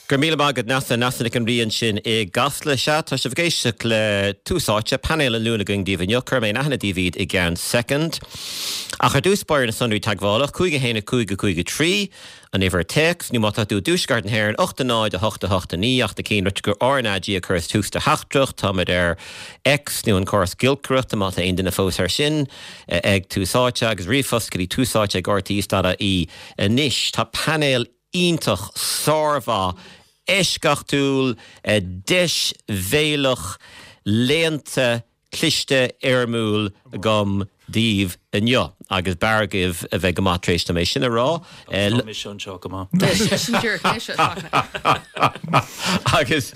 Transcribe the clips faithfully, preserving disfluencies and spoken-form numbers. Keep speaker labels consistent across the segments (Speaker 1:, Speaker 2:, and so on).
Speaker 1: Go raibh míle maith agat Neasa Neasa Nic an Rí ansin i gCasla sea tá sibh ag éisteacht le Tús Áite painéal an Luain againn daoibh inniu cuirfidh mé in aithne daoibh iad i gceann soicind. Ach ar dtús báire na sonraí teagmhála cúig a haon a cúig a cúig a trí an uimhir téacs nó má tá tú i dtuaisceart na hÉireann ocht a náid a hocht a hocht a naoi ach na cinn gur RnaG a chuireas tús do theachtaireacht táimid ar X nó an córas giolcaireachta má tá aon duine fós ar sin ag Tús Áite agus ríomhphost go dtí túsáite ag RTÉ.ie anois tá painéal iontach sármhaith eisceachtúil deisbhéalach léannta cliste éirimiúil agam daoibh inniu agus b'fhearr daoibh a bheith go maith tar éis dom é sin a rá.
Speaker 2: Tá mise anseo go maith.
Speaker 1: agus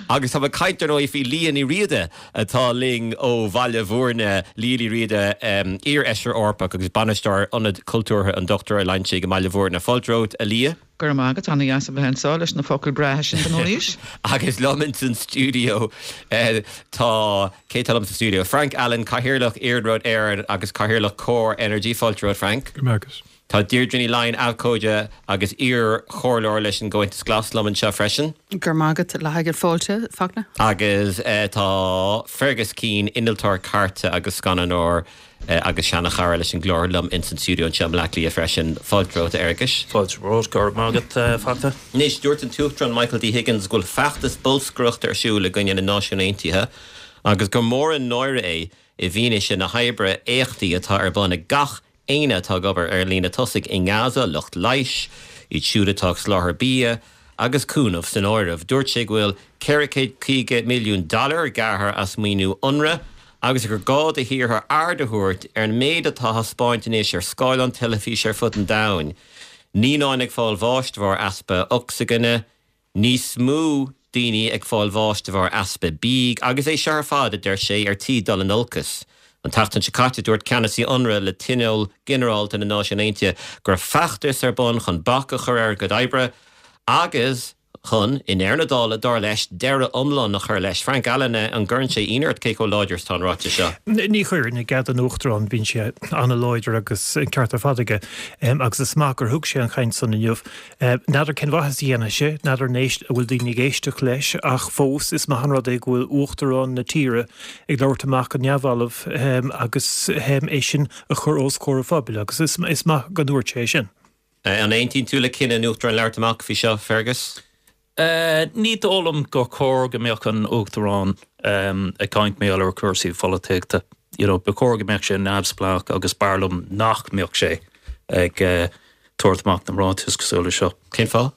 Speaker 1: agus tá caint ar ndóigh faoi Liadh Ní Riada atá linn ó Bhaile Bhúirne Liadh Ní Riada iar-fheisire Eorpach agus bainisteoir Ionad Cultúrtha an Dochtúir Ó Loingsigh i mBaile Bhúirne. Fáilte romhat a Liadh.
Speaker 3: Go raibh maith agat an-deas a bheith anseo leis na focail breátha sin den arís.
Speaker 1: Agus liom in san stiúideo tá cé tá liom sa stiúideo. Frank Allen Cathaoirleach Iarnród Éireann agus Cathaoirleach Core Energy fáilte romhat Frank.
Speaker 4: Go agus.
Speaker 1: Tá Deirdre Ní Laighin abhcóide agus iar-chomhairleoir leis an gComhaontas Glas liom anseo freisin.
Speaker 5: Gur mágad le haigad fáilte Fachtna?
Speaker 1: Agus uh, tá Fergus Keane innealtóir cairte agus scannánóir uh, agus seanchara leis an gclár liom in san stiúideo anseo i mBaile Átha Cliath freisin fáilte romhat a Fhearghuis.
Speaker 2: Fáilte romhat go raibh maith agat Fachtna.
Speaker 1: Anois dúirt an tUachtarán Michael D. Higgins go bhfuil feachtas bolscaireachta ar siúl i gcoinne na Náisiún Aontaithe agus gur mór an náire é i bhfianaise na hoibre éachtaí atá ar bun ag gach éinne atá ag obair ar líne tosaigh i nGaza lucht leighis, iad siúd atá ag soláthar bia agus cúnamh san áireamh. Dúirt sé go bhfuil ceithre chéad caoga milliún dollar gearrtha as maoiniú UNRWA agus gur gá do thíortha aird a thabhairt ar an méid atá á thaispeáint anois ar scáileán teilifíse ar fud an domhain. Naíonáin ag fáil bháis de bharr easpa ocsaigine, níos mó daoine ag fáil bháis de bharr easpa bídh, agus é seo ar fad a deir sé ar tí dul in olcas. An tseachtain seo caite dúirt ceannasaí UNRWA le Tionól Ginearálta na Náisiún Aontaithe gur feachtas ar bun chun bac a chur ar a gcuid oibre agus chun i ndeireadh na dála dar leis deireadh iomlán a chur leis. Frank Allen an gcuireann sé ionadh ort cé chomh láidir is atá an ráiteas seo.
Speaker 4: Ní chuireann i gcead an Uachtarán bíonn sé an-láidir agus an ceart ar fad aige agus is maith gur thug sé an chaint san inniu. N'fheadar cén mhaitheas a dhéanfaidh sé, n'fheadar an éist a bhfuil daoine ag éisteacht leis ach fós is maith an rud é go bhfuil Uachtarán na tíre ag labhairt amach go neamhbhalbh agus é sin a chur os comhair an phobail agus is, is maith go ndúirt sé sin.
Speaker 1: An aontaíonn tú le cinneadh an Uachtaráin labhairt amach faoi seo Fergus?
Speaker 2: Uh, ní dóigh liom gur chóir go mbeadh an Uachtarán um, ag caint mar gheall ar cúrsaí polaitíochta. You know, ba chóir go mbeadh sé neamhspleách agus b'fhearr liom nach mbeadh sé ag uh, tabhairt amach na ráitis cosúil leis seo.
Speaker 1: Cén fáth?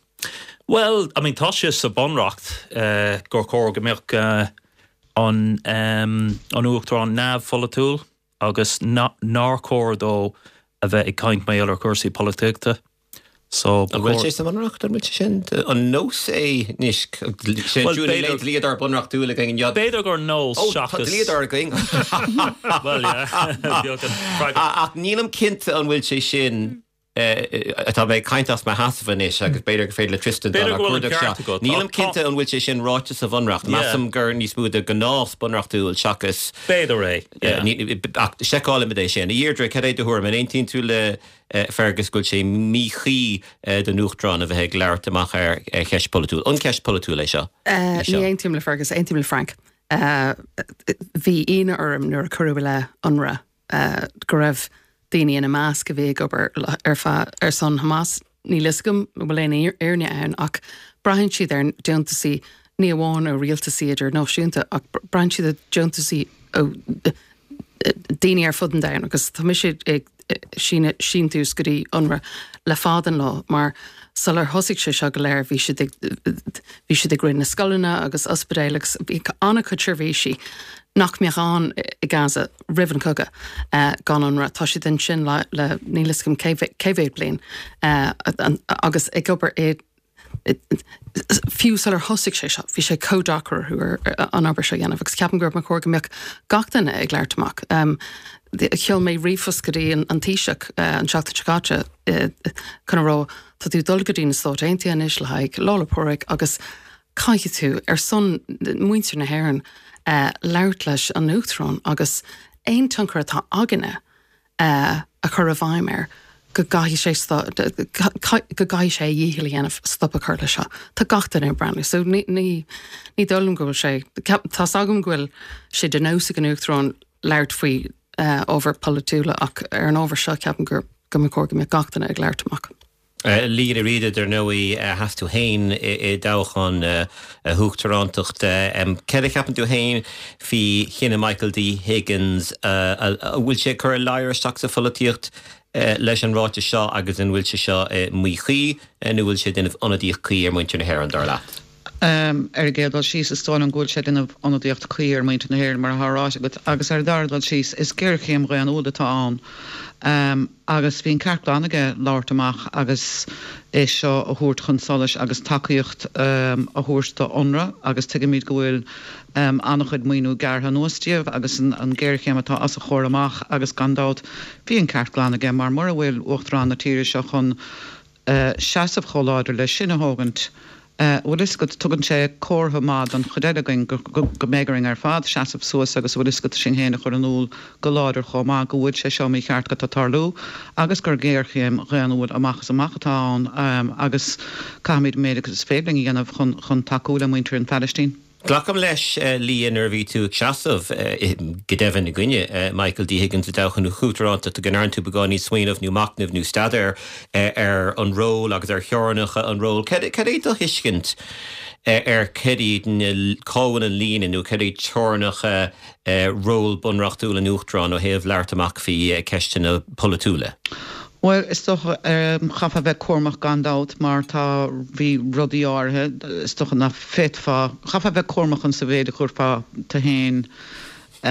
Speaker 2: Well, I mean tá sé sa bhunreacht uh, gur chóir go mbeadh uh, an, um, an Uachtarán neamhpholaitiúil agus nár chóir dó a bheith ag caint mar gheall ar cúrsaí polaitíochta. So
Speaker 1: An bhfuil sé sa bhunreacht an bhfuil sé sin an nós é anois sé dlíodóir bunreachtúil againn inniu.
Speaker 2: B'fhéidir gur nós
Speaker 1: seachas dlíodóir againn.
Speaker 2: Well
Speaker 1: Ach nílim cinnte an bhfuil sé sin atá mé ag caint as mo sheasamh anois agus b'fhéidir gur féidir le Tristan Nílim cinnte an bhfuil sé sin ráite sa bhunreacht. Measaim gur níos mó de ghnás bunreachtúil seachas.
Speaker 2: B'fhéidir é.
Speaker 1: Ach seiceálfaimid é sin. A Dheirdre cad é do thuairim an aontaíonn tú le Fergus go bhfuil sé míchuí don Uachtarán a bheith ag labhairt amach ar cheist polaitiúil. An ceist polaitiúil é seo.
Speaker 5: Ní aontaím le Fergus, aontaím le Frank. Bhí ionadh orm nuair a cuireadh le UNRWA go raibh daoine ina measc a bhí ag obair ar ar son Hamas níl a fhios agam bhfuil aon fhírinne ann ach braitheann siad ar deontaisí ní amháin ó rialtaisí idirnáisiúnta ach braitheann siad ar deontaisí ó daoine ar fud an domhain agus tá mise ag síntiús go dtí UNRWA le fada an lá mar sular thosaigh sé seo go léir bhí siad bhí siad ag rith na scoileanna agus ospidéil agus bhí an-chuid seirbhísí nach mbeadh ann i Gaza roimh an cogadh gan UNRWA tá siad ansin le le níl a fhios agam cé mhéad bliain agus ag obair i fiú sular thosaigh sé seo, bhí sé chomh deacair orthu an obair seo a dhéanamh agus ceapaim gur chóir go mbeadh gach duine ag labhairt amach. Um, Sheol mé ríomhphost go dtí an, an Taoiseach uh, an seachtain seo caite uh, chun a rá tá tú dul go dtí na Stáit Aontaithe anois le haghaidh Lá 'le Pádraig agus caithfidh tú ar son muintir na hÉireann uh, labhairt leis an Uachtarán agus aon tionchar atá againne uh, a chur i bhfeidhm air go gcaithfidh sé go gcaithfidh sé a dhícheall a dhéanamh stop a chur leis seo. Tá gach duine ag breathnú, so ní ní ní dóigh liom go bhfuil sé tá's agam go bhfuil sé de nós ag an Uachtarán labhairt faoi uh, ábhar polaitiúla ach ar an ábhar seo ceapaim gur go mba chóir go mbeadh gach duine ag labhairt amach.
Speaker 1: Uh, Liadh Ní Riada dar ndóigh uh, sheas tú féin i dtoghchán uh, uachtaránachta um, Céard a cheapann tú féin faoi chinneadh Michael D. Higgins an bhfuil sé ag cur ladhar isteach sa pholaitíocht leis an ráiteas seo agus an bhfuil sé seo míchuí nó bhfuil sé ag déanamh ionadaíocht cuí ar mhuintir na hÉireann dar leat.
Speaker 3: Um, ar an gcéad dul síos is dóigh liom go bhfuil sé ag déanamh ionadaíocht cuí ar mhuintir na hÉireann mar atá ráite agat agus ar an dara dul síos is géarchéim dhaonnúil atá ann. Um, agus bhí an ceart glan aige labhairt amach agus é seo a thabhairt chun solais agus tacaíocht um, a thabhairt do UNRWA agus tuigimid go bhfuil um, an-chuid maoiniú gearrtha anuas díobh agus an, an géarchéim atá os a chomhair amach agus gan dabht bhí an ceart glan aige mar mura bhfuil uachtarán na tíre seo chun uh, seasamh chomh láidir leis sin a thógaint. Uh, bhfuil fhios agat tugann sé comhartha maith don chuid eile againn go mbeidh orainn ar fad seasamh suas agus bhfuil fhios agat sinn féin a chur in iúl go láidir chomh maith go bhfuil sé seo mícheart go tarlú agus gur géarchéim dhaonnúil amach is amach atá ann um, agus caithfimid méid agus is féidir linn a dhéanamh chun, chun tacú le muintir an Phalaistín.
Speaker 1: Glacaim leis uh, Liadh nuair a bhí tú ag seasamh uh, go deimhin i gcoinne uh, Michael D. Higgins i dtoghchán na huachtaránachta go ndearna tú beagán níos smaoineamh nó machnamh nó staidéar ar an ról agus ar theorainneacha an ról. Cad é do thuiscint ar cad iad cá bhfuil an líne nó cad iad teorainneacha ról bunreachtúil an uachtaráin ó thaobh labhairt amach faoi ceisteanna polaitiúla?
Speaker 3: Well, is dócha um, chaithfeá bheith cúramach gan dabht mar tá bhí rudaí áirithe is dócha nach bhféadfá chaithfeá bheith cúramach an sa mhéid a chuirfeá tú féin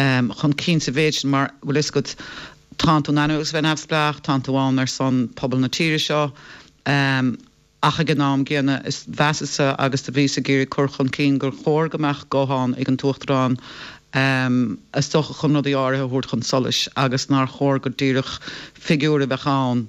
Speaker 3: um, chun cinn sa mhéid sin mar bhfuil fhios agat tá tú in ainm agus bheith neamhspleách, tá tú ann ar son pobal na tíre seo. Um, ach ag an am gcéanna is mheasas-sa agus do bhíos ag iarraidh cur chun cinn gur chóir go mbeadh guthán ag an t-uachtarán um, is dócha chun rudaí áirithe a thabhairt chun solais agus nár chóir go díreach figiúr a bheith ann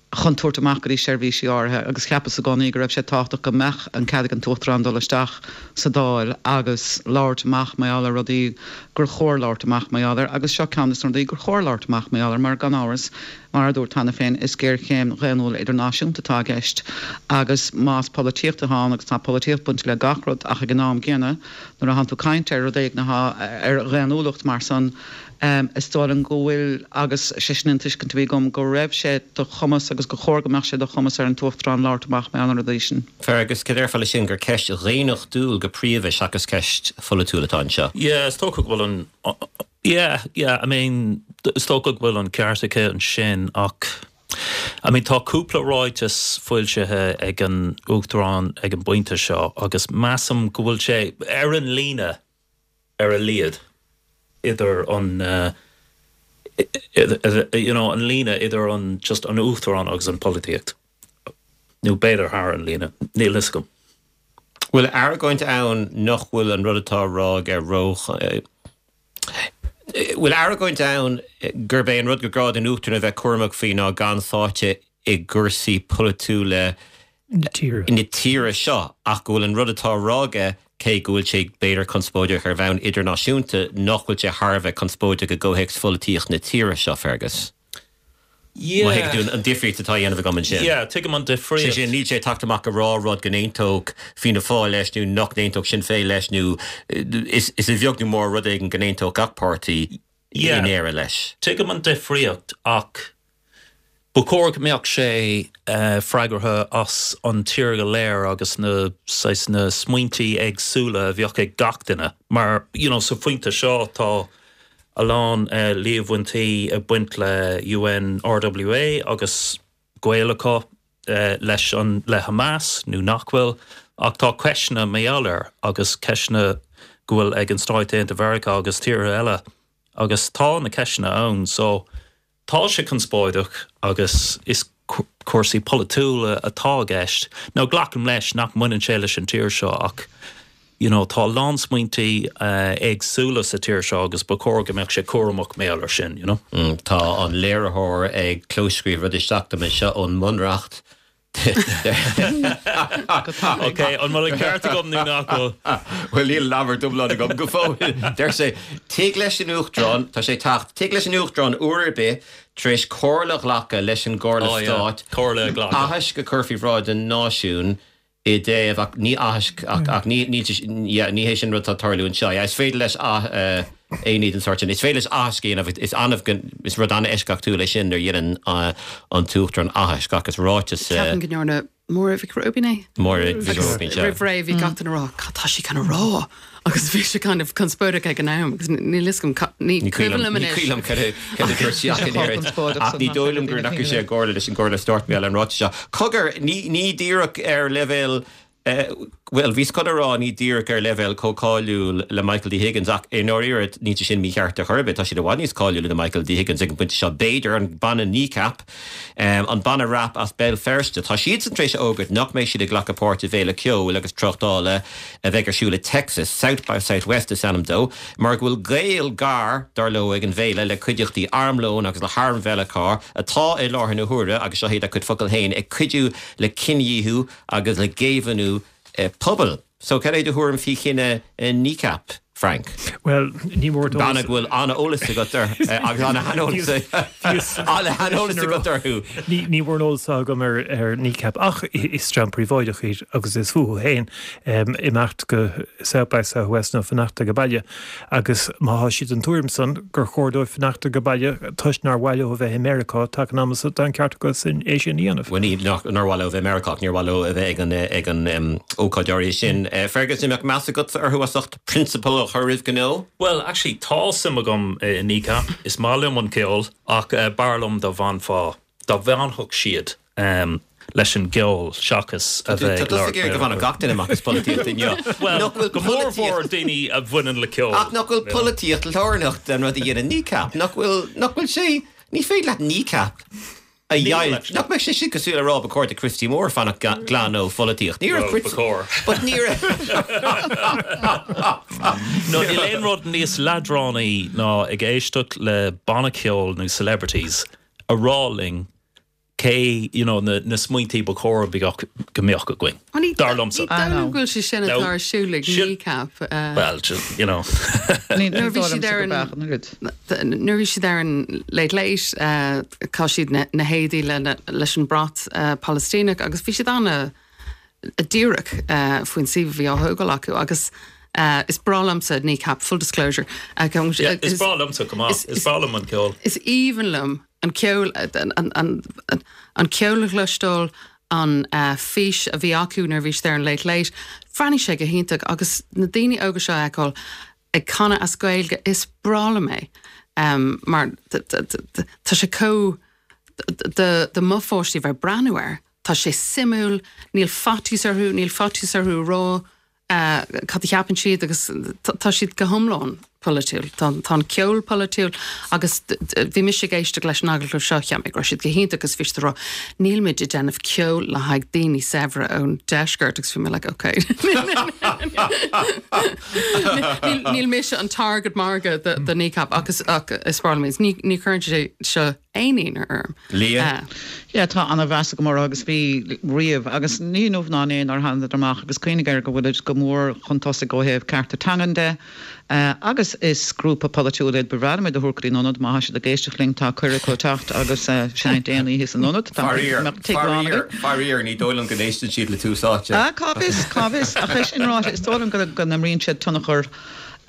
Speaker 3: chun tabhairt amach go dtí seirbhísí áirithe agus cheapas i gcónaí go raibh sé tábhachtach go mbeadh an cead ag an t-uachtarán dul isteach sa Dáil agus labhairt amach mar gheall ar rudaí gur chóir labhairt amach mar gheall air agus seo ceann de na rudaí gur chóir labhairt amach mar gheall air mar gan amhras mar a dúirt cheana féin is géarchéim dhaonnúil idirnáisiúnta atá i gceist agus más polaitíocht atá ann agus tá polaitíocht bainte le gach rud ach ag an am gcéanna nuair a thánn tú ag caint ar rud éigin atá ar dhaonnúlacht mar san um, is dóigh liom go bhfuil agus sé sin an tuiscint a bhí agam go raibh sé de chumas agus gur chóir go mbeadh sé de chumas ar an t-uachtarán labhairt amach mar gheall ar na rudaí sin.
Speaker 1: Fergus cad déarfá leis sin gur ceist dhaonnachtúil go príomha seachas ceist pholaitiúil atá anseo.
Speaker 2: Yeah, is dócha go bhfuil an yeah, yeah, I mean is dócha go bhfuil an ceart aici ansin ach I mean tá cúpla ráiteas foilsithe ag an uachtarán ag an bpointe seo agus measaim go bhfuil sé ar an líne ar a laghad idir an uh, you know, an líne idir an just an uachtarán agus an polaitíocht. Nó b'fhéidir thar an líne, níl fhios agam.
Speaker 1: Bhfuil argóint ann nach bhfuil an rud atá á rá aige ró Bhfuil argóint ann gurb é an rud gur gá don uachtarán a bheith cúramach faoi ná gan sáite i gcúrsaí polaitiúla na tíre seo ach go bhfuil an rud atá á rá aige cé go bhfuil sé b'fhéidir conspóideach ar bhonn idirnáisiúnta nach bhfuil sé thar a bheith conspóideach i gcomhthéacs pholaitíocht na tíre seo Fergus.
Speaker 2: Yeah.
Speaker 1: an difríocht atá á dhéanamh agam ansin.
Speaker 2: Yeah, tuigim an difríocht.
Speaker 1: sin níl sé ag teacht amach ag rá rud go n-aontódh Fianna Fáil leis nó nach n-aontódh Sinn Féin leis nó is is a bheag nó mór rud éigin go n-aontódh gach páirtí
Speaker 2: Yeah.
Speaker 1: in Éirinn leis.
Speaker 2: Tuigim an difríocht ach ba chóir go mbeadh sé uh, freagrach as an tír go léir agus na saghas na smaointí éagsúla a bheadh ag gach duine. Mar you know, sa phointe seo tá a lán uh, líomhaintí ag baint le UNRWA agus gaol acu uh, leis an le Hamas nó nach bhfuil ach tá ceisteanna mar gheall air agus ceisteanna go bhfuil ag an Stáit Aontaithe Mheiriceá agus tíortha eile agus tá na ceisteanna ann so tá sé conspóideach agus is cúrsaí polaitiúla atá i gceist. Nó glacaim leis nach mbaineann sé leis an tír seo ach you know, tá lán smaointí uh, éagsúla sa tír seo agus ba chóir go mbeadh sé cúramach mar gheall air sin, you know?
Speaker 1: Mm, tá an léiritheoir ag clóscríobh rud isteach dom anseo ón mbunreacht
Speaker 2: Ok, an bhfuil an ceart agam nó nach bhfuil?
Speaker 1: Well níl leabhar iomlán agam go fóill. Deir sé tig leis an Uachtarán tá sé teacht tig leis an Uachtarán uair ar bith tar éis comhairle a ghlacadh leis an gComhairle
Speaker 2: Oh, yeah.
Speaker 1: Stáit
Speaker 2: Comhairle a ghlacadh.
Speaker 1: Aithisc a chur faoi bhráid an náisiún i dtaobh ach ní aithisc ach ach ní ní yeah, ní hé sin rud atá ag tarlú anseo. Yeah, is féidir leis a aon ní den sórt sin. Is féidir leis aithisc a dhéanamh is annamh is rud an-eisceachtúil é sin nuair a dhéanann uh, an tUachtarán aithisc agus ráiteas uh,
Speaker 5: Ceapaim go ndearna Máire Mhic Róibín é.
Speaker 1: Máire Mhic Róibín, sea.
Speaker 5: Roimh ré bhí gach duine ag rá cad tá sí chun a rá agus bhí sé kind of conspóideach ag an am agus níl a fhios agam ní
Speaker 1: Ní
Speaker 5: cuimhin liom
Speaker 1: ní
Speaker 5: anois.
Speaker 1: cuimhin liom cad a dúirt sí ach in
Speaker 3: Sé
Speaker 1: éirinn.
Speaker 3: conspóideach
Speaker 1: Ach
Speaker 3: san
Speaker 1: ní
Speaker 3: nach
Speaker 1: dóigh liom gur
Speaker 3: raibh
Speaker 1: ndeachaigh
Speaker 3: daoine
Speaker 1: sé i gcomhairle leis an gComhairle Stáit mé an ráiteas seo. Cogar ní ní díreach ar leibhéal eh, well bhí chun a rá ní díreach ar leibhéal chomh cáiliúil le Michael D. Higgins ach i ndáiríre ní sin mícheart ar chor ar bith tá siad i bhfad níos cáiliúla ná Michael D. Higgins ag an bpointe seo b'fhéidir an banna Kneecap um, an banna rap as Béal Feirste Tá siad san tar éis a fhógairt nach mbeidh siad ag glacadh páirt i bhféile ceoil agus tráchtála a bheidh ar siúl i Texas, South by Southwest is ainm dó, mar go bhfuil gaol gar dar leo ag an bhféile le cuideachtaí armlóin agus le hairm Mheiriceá atá i láthair na huaire agus seo iad a gcuid focal féin ag cuidiú le cinedhíothú agus le géibheannú eh, pobal. So cad é do thuairim faoi chinneadh eh, Kneecap, Frank.
Speaker 4: Well ní mór
Speaker 1: Banna go bhfuil an-eolas agat air agus an-eolas an-eolas agat orthu.
Speaker 4: Ní ní mórán eolas agam ar ar Kneecap ach is dream príobháideach iad agus is fúthu féin um, imeacht go South by Southwest nó fanacht ag baile agus má tá siad den tuairim san gur chóir dóibh fanacht ag baile toisc nár mhaith leo a bheith i Meiriceá tá an am tá an ceart acu sin é sin a dhéanamh.
Speaker 1: Well ní nár mhaith leo bheith Meiriceá níor mhaith leo a bheith ag an ag an um, ócáid áirithe sin. Uh, Fergus mbeadh meas agat orthu as ucht prionsabal a chur roimh gnó?
Speaker 2: Well, actually tá suim agam i Kneecap is maith liom an ceol ach uh, b'fhearr liom dá bhfanfá dá bhfanfadh siad um, leis an gceol seachas a bheith
Speaker 1: Tá go bhfuil gach duine amach as polaitíocht inniu.
Speaker 2: Well,
Speaker 1: Nach bhfuil
Speaker 2: go mór mhór daoine a bhaineann le ceol.
Speaker 1: Ach nach bhfuil polaitíocht lárnach den rud a dhéanann Kneecap, nach bhfuil nach bhfuil sé ní féidir leat Kneecap a dheighilt. Nach mbeidh sé sin cosúil le rá ba chóir do Christy Moore fanacht glan ó pholaitíocht. Ní
Speaker 2: Well, ba chóir.
Speaker 1: But ní
Speaker 2: No, níl aon rud níos leadránaí ná ag éisteacht le banna ceoil nó celebrities a rá linn cé you know, na, na smaointí ba chóir go go mbeadh againn. Dar liomsa.
Speaker 5: Ní dóigh liom go bhfuil sé sin
Speaker 2: No.
Speaker 5: atá ar siúl ag
Speaker 2: Sin-
Speaker 5: Kneecap. uh,
Speaker 2: Well, just, you know.
Speaker 3: Ní
Speaker 5: Nuair bhí siad ar an- nuair bhí siad ar an Late Late uh, chaith siad na, na héadaí le, na- leis an brat uh, Palestíneach agus bhí siad an- an-díreach uh, faoin suíomh a bhí á thógáil acu agus uh, is breá liomsa Kneecap full disclosure. Uh,
Speaker 2: Yeah, is breá liomsa go maith.
Speaker 5: is-
Speaker 2: Is breá liom an ceol.
Speaker 5: Is aoibhinn liom an ceol an, an, an, an, an ceol a chloisteáil an uh, fís a bhí acu nuair bhí siad ar an Late Late. Bhreathnaigh sé go hiontach agus na daoine óga seo a fheiceáil ag canadh as Gaeilge is breá liom é. Um, mar tá sé có do mo pháistí bheith breathnú air. Tá sé suimiúil, níl faitíos orthu, níl faitíos orthu rá uh, cad a cheapann siad agus tá siad go hiomlán polaitiúil. Tá tá an ceol polaitiúil agus bhí mise ag éisteacht leis an agallamh seo cheap mé go raibh siad go hiontach agus bhí siad ag rá níl muid ag déanamh ceol le haghaidh daoine saibhre ón deisceart agus bhí mé like okay. Níl mise an target market do do Kneecap agus ach is breá liom ní ní chuireann sé seo aon ionadh orm.
Speaker 1: Lia?
Speaker 3: Ja tá an-mheas agam orthu agus bhí riamh agus ní inniu ná inné nár tháingadar amach agus cuimhnigh air go bhfuil go mór chun tosaigh ó thaobh cearta teangan de. Uh, agus is grúpa polaitiúil iad bhreá de thuircrí ionad má siad ag éisteacht linn tá cuireadh acu teacht agus uh, seinnt aon oíche san ionad.
Speaker 1: Faraor ní dóigh liom go n-éisteann siad le Tús Áite.
Speaker 3: Ah, cá bhfios cá bhfios ach é sin ráite is dóigh liom go go n-imríonn siad tionchar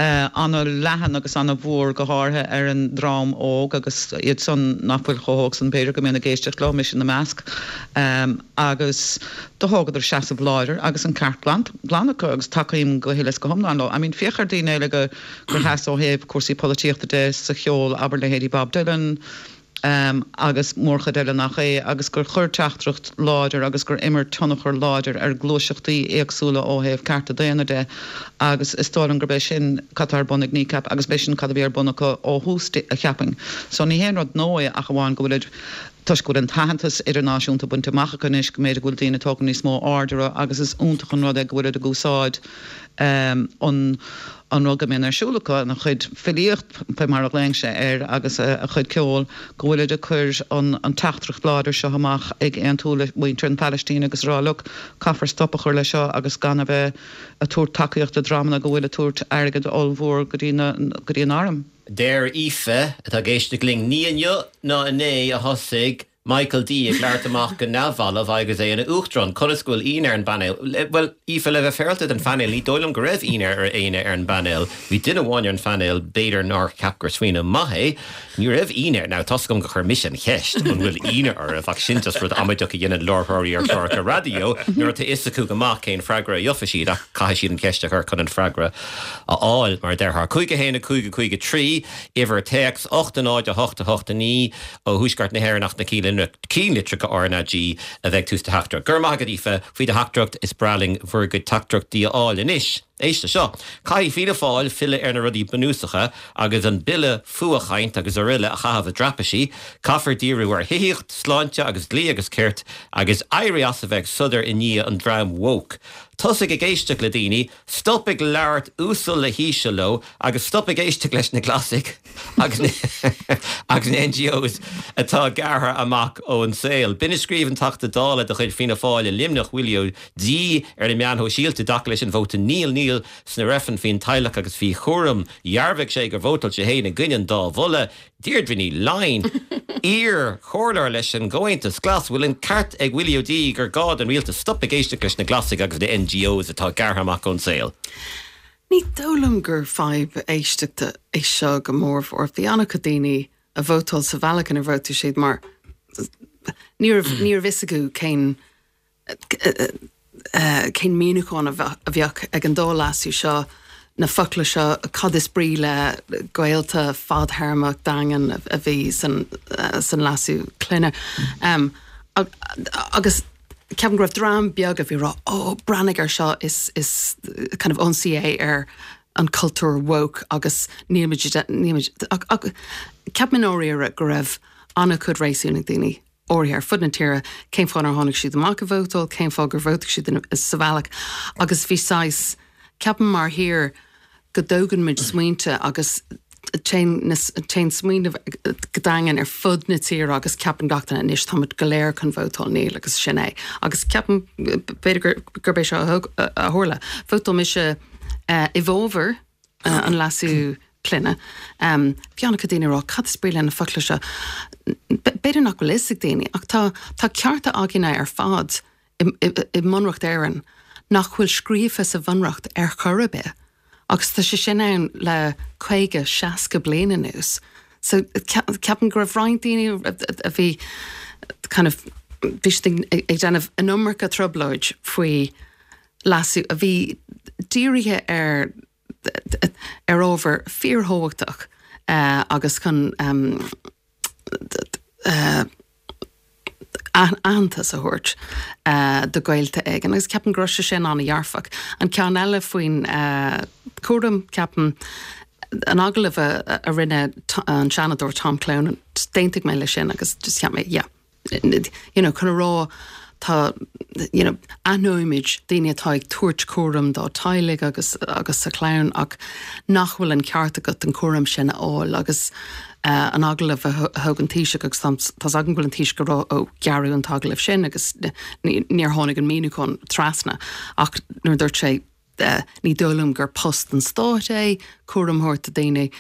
Speaker 3: uh, an-leathan agus an-mhór go háirithe ar an dream óg agus iad san nach bhfuil chomh hóg san b'fhéidir go mbíonn ag éisteacht leo mise ina measc um, agus do thógadar seasamh láidir agus an ceart glan glan acu agus tacaím go huile is go hiomlán leo. I mean féach ar daoine eile go gur sheas ó thaobh cúrsaí polaitíochta de sa cheol abair leithéidí Bob Dylan, um, agus mórchuid eile nach é agus gur chuir teachtaireacht láidir agus gur imir tionchar láidir ar gluaiseachtaí éagsúla ó thaobh cearta daonna de agus is dóigh liom gurb é sin cad atá ar bun ag Kneecap agus b'é sin cad a bhí ar bun acu ó thús a cheapaim. So ní haon rud nua ach amháin go bhfuil Toisc go bhfuil an t-aitheantas idirnáisiúnta bainte amach acu anois, go mb'fhéidir go bhfuil daoine ag tógáil níos mó aird orthu agus is iontach an rud é go bhfuilid ag úsáid an an rud go mbíonn ar siúl acu, an chuid filíocht fé mar a ghlaonn sé air agus a chuid ceoil, go bhfuilid ag cur an an teachtaireacht láidir seo amach ag aontú le muintir an Phalaistín agus a rá look, caithfear stop a chur le seo agus gan a bheith ag tabhairt tacaíocht do dreamanna go bhfuil ag tabhairt airgead ollmhór go dtí na go dtí an arm.
Speaker 1: Deir Aoife, atá ag éisteacht linn, ní inniu ná inné a thosaigh Michael D ag labhairt amach go neamhbhalbh agus é ina Uachtarán. Conas go bhfuil ionadh ar an bpainéal? Bhuel, Aoife, le bheith féaráilte don phainéal, ní dóigh liom go raibh ionadh ar éinne ar an bpainéal. Bhí duine amháin ar an phainéal, b'fhéidir nár cheap gur smaoineamh maith é. Ní raibh ionadh, now tá's agam gur chuir mise an cheist, an bhfuil ionadh oraibh, ach sin just rud amaideach a dhéanann láithreoirí ar chláracha raidió nuair atá fhios acu go maith cén freagra a gheobhaidh siad ach caithfidh siad an cheist a chur chun an freagra a fháil, mar a déarfá. Cúig a haon a cúig a cúig a trí, uimhir téacs, ocht a náid a hocht a hocht a naoi, ó thuaisceart na hÉireann ach na ceannlitreacha RnaG a bheidh tús do theachtaireacht. Go raibh maith agat Aoife faoi do theachtaireacht, is breá linn bhur gcuid teachtaireachtaí a fháil. Anois, éist leis seo. Caithfidh Fianna Fáil filleadh ar na rudaí bunúsacha agus an bille fuathchaint agus araile a chaitheamh i dtraipisí. Caithfear díriú ar thithíocht, sláinte agus dlí agus cirt agus éirí as a bheith ag sodar i ndiaidh an dream woke. Tosaigh ag éisteacht le daoine, stop ag labhairt uasal le híseal leo agus stop ag éisteacht leis na Glasaigh agus agus na NGOs atá gearrtha amach ón saol. B'in a scríobh an Teachta Dála de chuid Fianna Fáil i Luimneach, Willie O'Dea, ar na meáin shóisialta i dtaca leis an vóta Níl, Níl sna reifrinn faoin teaghlach agus faoi chúram. Dhearbhaigh sé gur vótáil sé féin i gcoinne an dá mholadh. Deirdre Ní Laighin, iar-chomhairleoir leis an gComhaontas Glas, bhfuil an ceart ag Willie O'Dea gur gá don rialtas stop ag éisteacht leis na Glasaigh agus na NGOs atá gearrtha amach ón saol?
Speaker 5: Ní dóigh liom gur fadhb éisteachta é seo go mórmhór. Bhí an-chuid daoine a vótáil sa bhealach inar vótáil siad mar ní raibh ní raibh fhios acu cén cén míniúchán a bheadh ag an dá leasú seo, na focla seo, cad is brí le gaolta fadthéarmach daingean a bhí san san leasú clainne. Um, agus ceapaim go raibh dream beag a bhí rá, ó breathnaigh air seo is is kind of ionsaí é ar an cultúr woke agus nílmuid nílmuid ceapaim i ndáiríre go raibh an-chuid réasún ag daoine áirithe ar fud na tíre cén fáth nár tháinig siad amach a vótáil, cén fáth gur vótáil siad sa bhealach agus bhí saghas ceapaim mar thír go dtógann muid smaointe agus téann smaoineamh go daingean ar fud na tíre agus ceapann gach duine anois táimid go léir chun vótáil níl agus sin é. Agus ceapaim b'fhéidir gurb é seo a tharla. Vótáil mise i bhfabhar an leasú clainne. Bhí an-chuid daoine ag rá cad is brí le na focla seo. B'fhéidir nach bhfuil fhios ag daoine ach tá tá cearta againne ar fad i i mBunreacht Éireann nach bhfuil scríofa sa Bhunreacht ar chor ar bith. Agus tá sé sin ann le caoga, seasca bliain anuas. So ceapaim go raibh roinnt daoine a bhí kind of bhí siad ag déanamh an iomarca trioblóid faoi leasú a bhí dírithe ar ar ábhar fíorthábhachtach agus chun aitheantas a thabhairt do ghaolta éigin agus ceapaim go raibh sé sin an-dhearfach. An ceann eile faoin cúram, ceapaim, an agallamh a rinne an Seanadóir Tom Clonan, d'aontaigh mé leis sin agus just cheap mé, yeah, you know, chun a rá tá, you know, aithneoimid daoine atá ag tabhairt cúram dá teaghlaigh agus agus a chlann ach nach bhfuil an ceart agat an cúram sin a fháil agus uh, an agallamh a thóg an Taoiseach agus tá agam bhfuil an Taoiseach ag rá ó gearradh an t-agallamh sin agus níor tháinig an míniúchán trasna ach nuair dúirt sé ní dóigh liom gur post an stáit é cúram a thabhairt do daoine.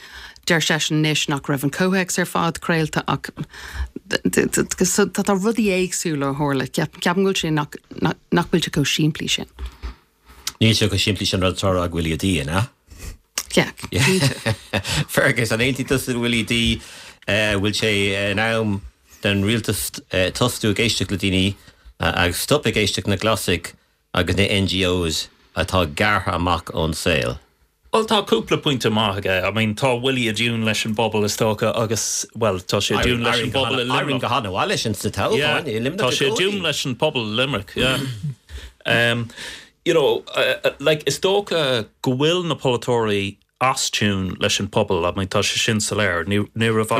Speaker 5: Deir seisean anois nach raibh an comhthéacs ar fad craolta ach tá rudaí éagsúla a tharla. Ceapaim go bhfuil sé nach nach bhfuil sé chomh simplí sin.
Speaker 1: Níl sé chomh simplí sin rud atá á rá ag Willie O'Dea, an ea?
Speaker 5: Yeah, cinnte.
Speaker 1: Fergus, an aontaíonn tusa le Willie O'Dea, bhfuil sé in am don rialtas tosú ag éisteacht le daoine agus stop ag éisteacht na Glasaigh agus na NGOs atá gearrtha amach ón saol?
Speaker 2: Bhuel tá cúpla pointe maith aige. I mean tá Willie i dtiún leis an bpobal is dócha agus, bhuel tá sé i dtiún leis an bpobal i Luimneach.
Speaker 1: Éirím go han-mhaith leis an sna toghcháin i Luimneach
Speaker 2: Tá sé i dtiún leis an pobal i Limerick, yeah. Um, you know, uh, like is dócha go bhfuil na polaiteoirí as tune leis an pobal, I mean tá sé sin soiléir. Ní ní raibh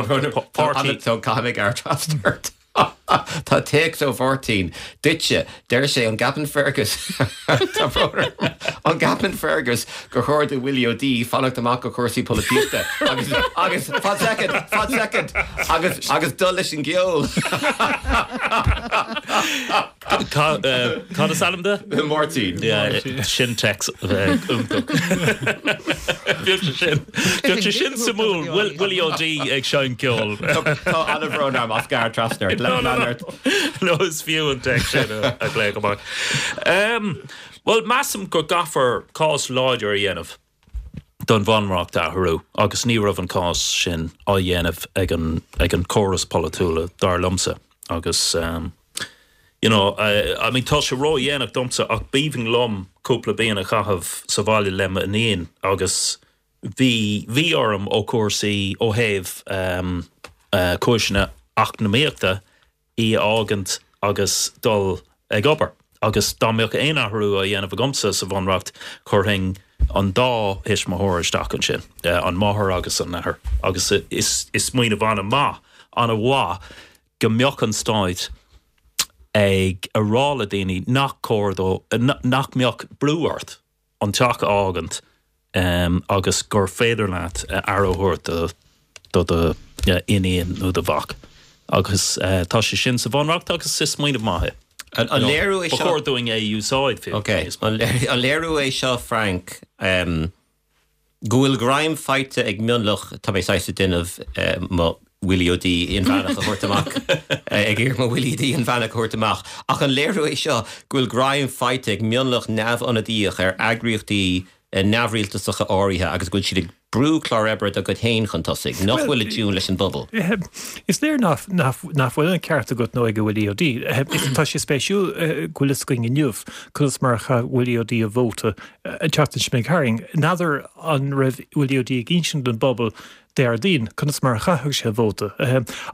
Speaker 2: páirtí
Speaker 1: Caithfidh mé ort. Tá téacs ó Mháirtín duitse deir sé an gceapann Fergus an gceapann Fergus gur chóir do Willie O'Dea fanacht amach ó chúrsaí polaitíochta agus agus fan second fan second agus agus dul leis an gceol.
Speaker 2: Cad is ainm dó?
Speaker 1: Máirtín
Speaker 2: sin text iontach. Sin sé sin suimiúil Willie O'Dea ag seinm ceoil.
Speaker 1: Tá an-bhrón orm as gar trasna
Speaker 2: No is fiú an text sin a léamh amach. Well measaim go gcaithfear cás láidir a dhéanamh don bhunreacht a athrú agus ní raibh an cás sin á dhéanamh ag an ag an córas polaitiúla dar liomsa agus um, you know, I, I mean tá sé ró-dhéanach domsa ach b'aoibhinn liom cúpla bliain a chaitheamh sa bhaile le m'iníon agus bhí bhí orm ó cúrsaí ó thaobh um, uh, cúiseanna eacnamaíochta í a fhágaint agus dul ag obair. Agus dá mbeadh aon athrú á dhéanamh agamsa sa bhunreacht chuirfinn an dá thuismitheoir isteach ansin, uh, an máthair agus an athair. agus is, is smaoineamh an-mhaith an-mhaith go mbeadh an stát ag a rá le daoine nach cóir dó nach mbeadh brú ort an teach a fhágaint um, agus gur féidir leat aire a thabhairt do do do iníon nó do mhac. Agus uh, tá sé sin sa bhunreacht agus is smaoineamh maith.
Speaker 1: An léiriú é
Speaker 2: seo chóir dúinn é úsáid fi.
Speaker 1: Ok, an léiriú é seo Frank um, go bhfuil greim faighte ag mionlach tá mé saghas ag déanamh mo Willie O'Dea inmheánach a thabhairt amach ag iarraidh mo Willie O'Dea inmheánach a thabhairt amach. Ach an léiriú é seo go bhfuil greim faighte ag mionlach neamhionadaíoch ar eagraíochtaí neamhrialtasacha áirithe agus go bhfuil siad ag brú clár oibre dá gcuid féin chun tosaigh, nach bhfuil i dtiún leis an bpobal.
Speaker 4: Is léir nach bhfuil an ceart agat nó ag Willie O'Dea. Tá sé spéisiúil go bhfuil fhios againn inniu conas mar a chaith Willie O'Dea a vóta an tseachtain seo chuaigh tharainn. N'fheadar an raibh Willie O'Dea ag insint don bpobal Déardaoin conas mar a chaithfeadh sé a vóta.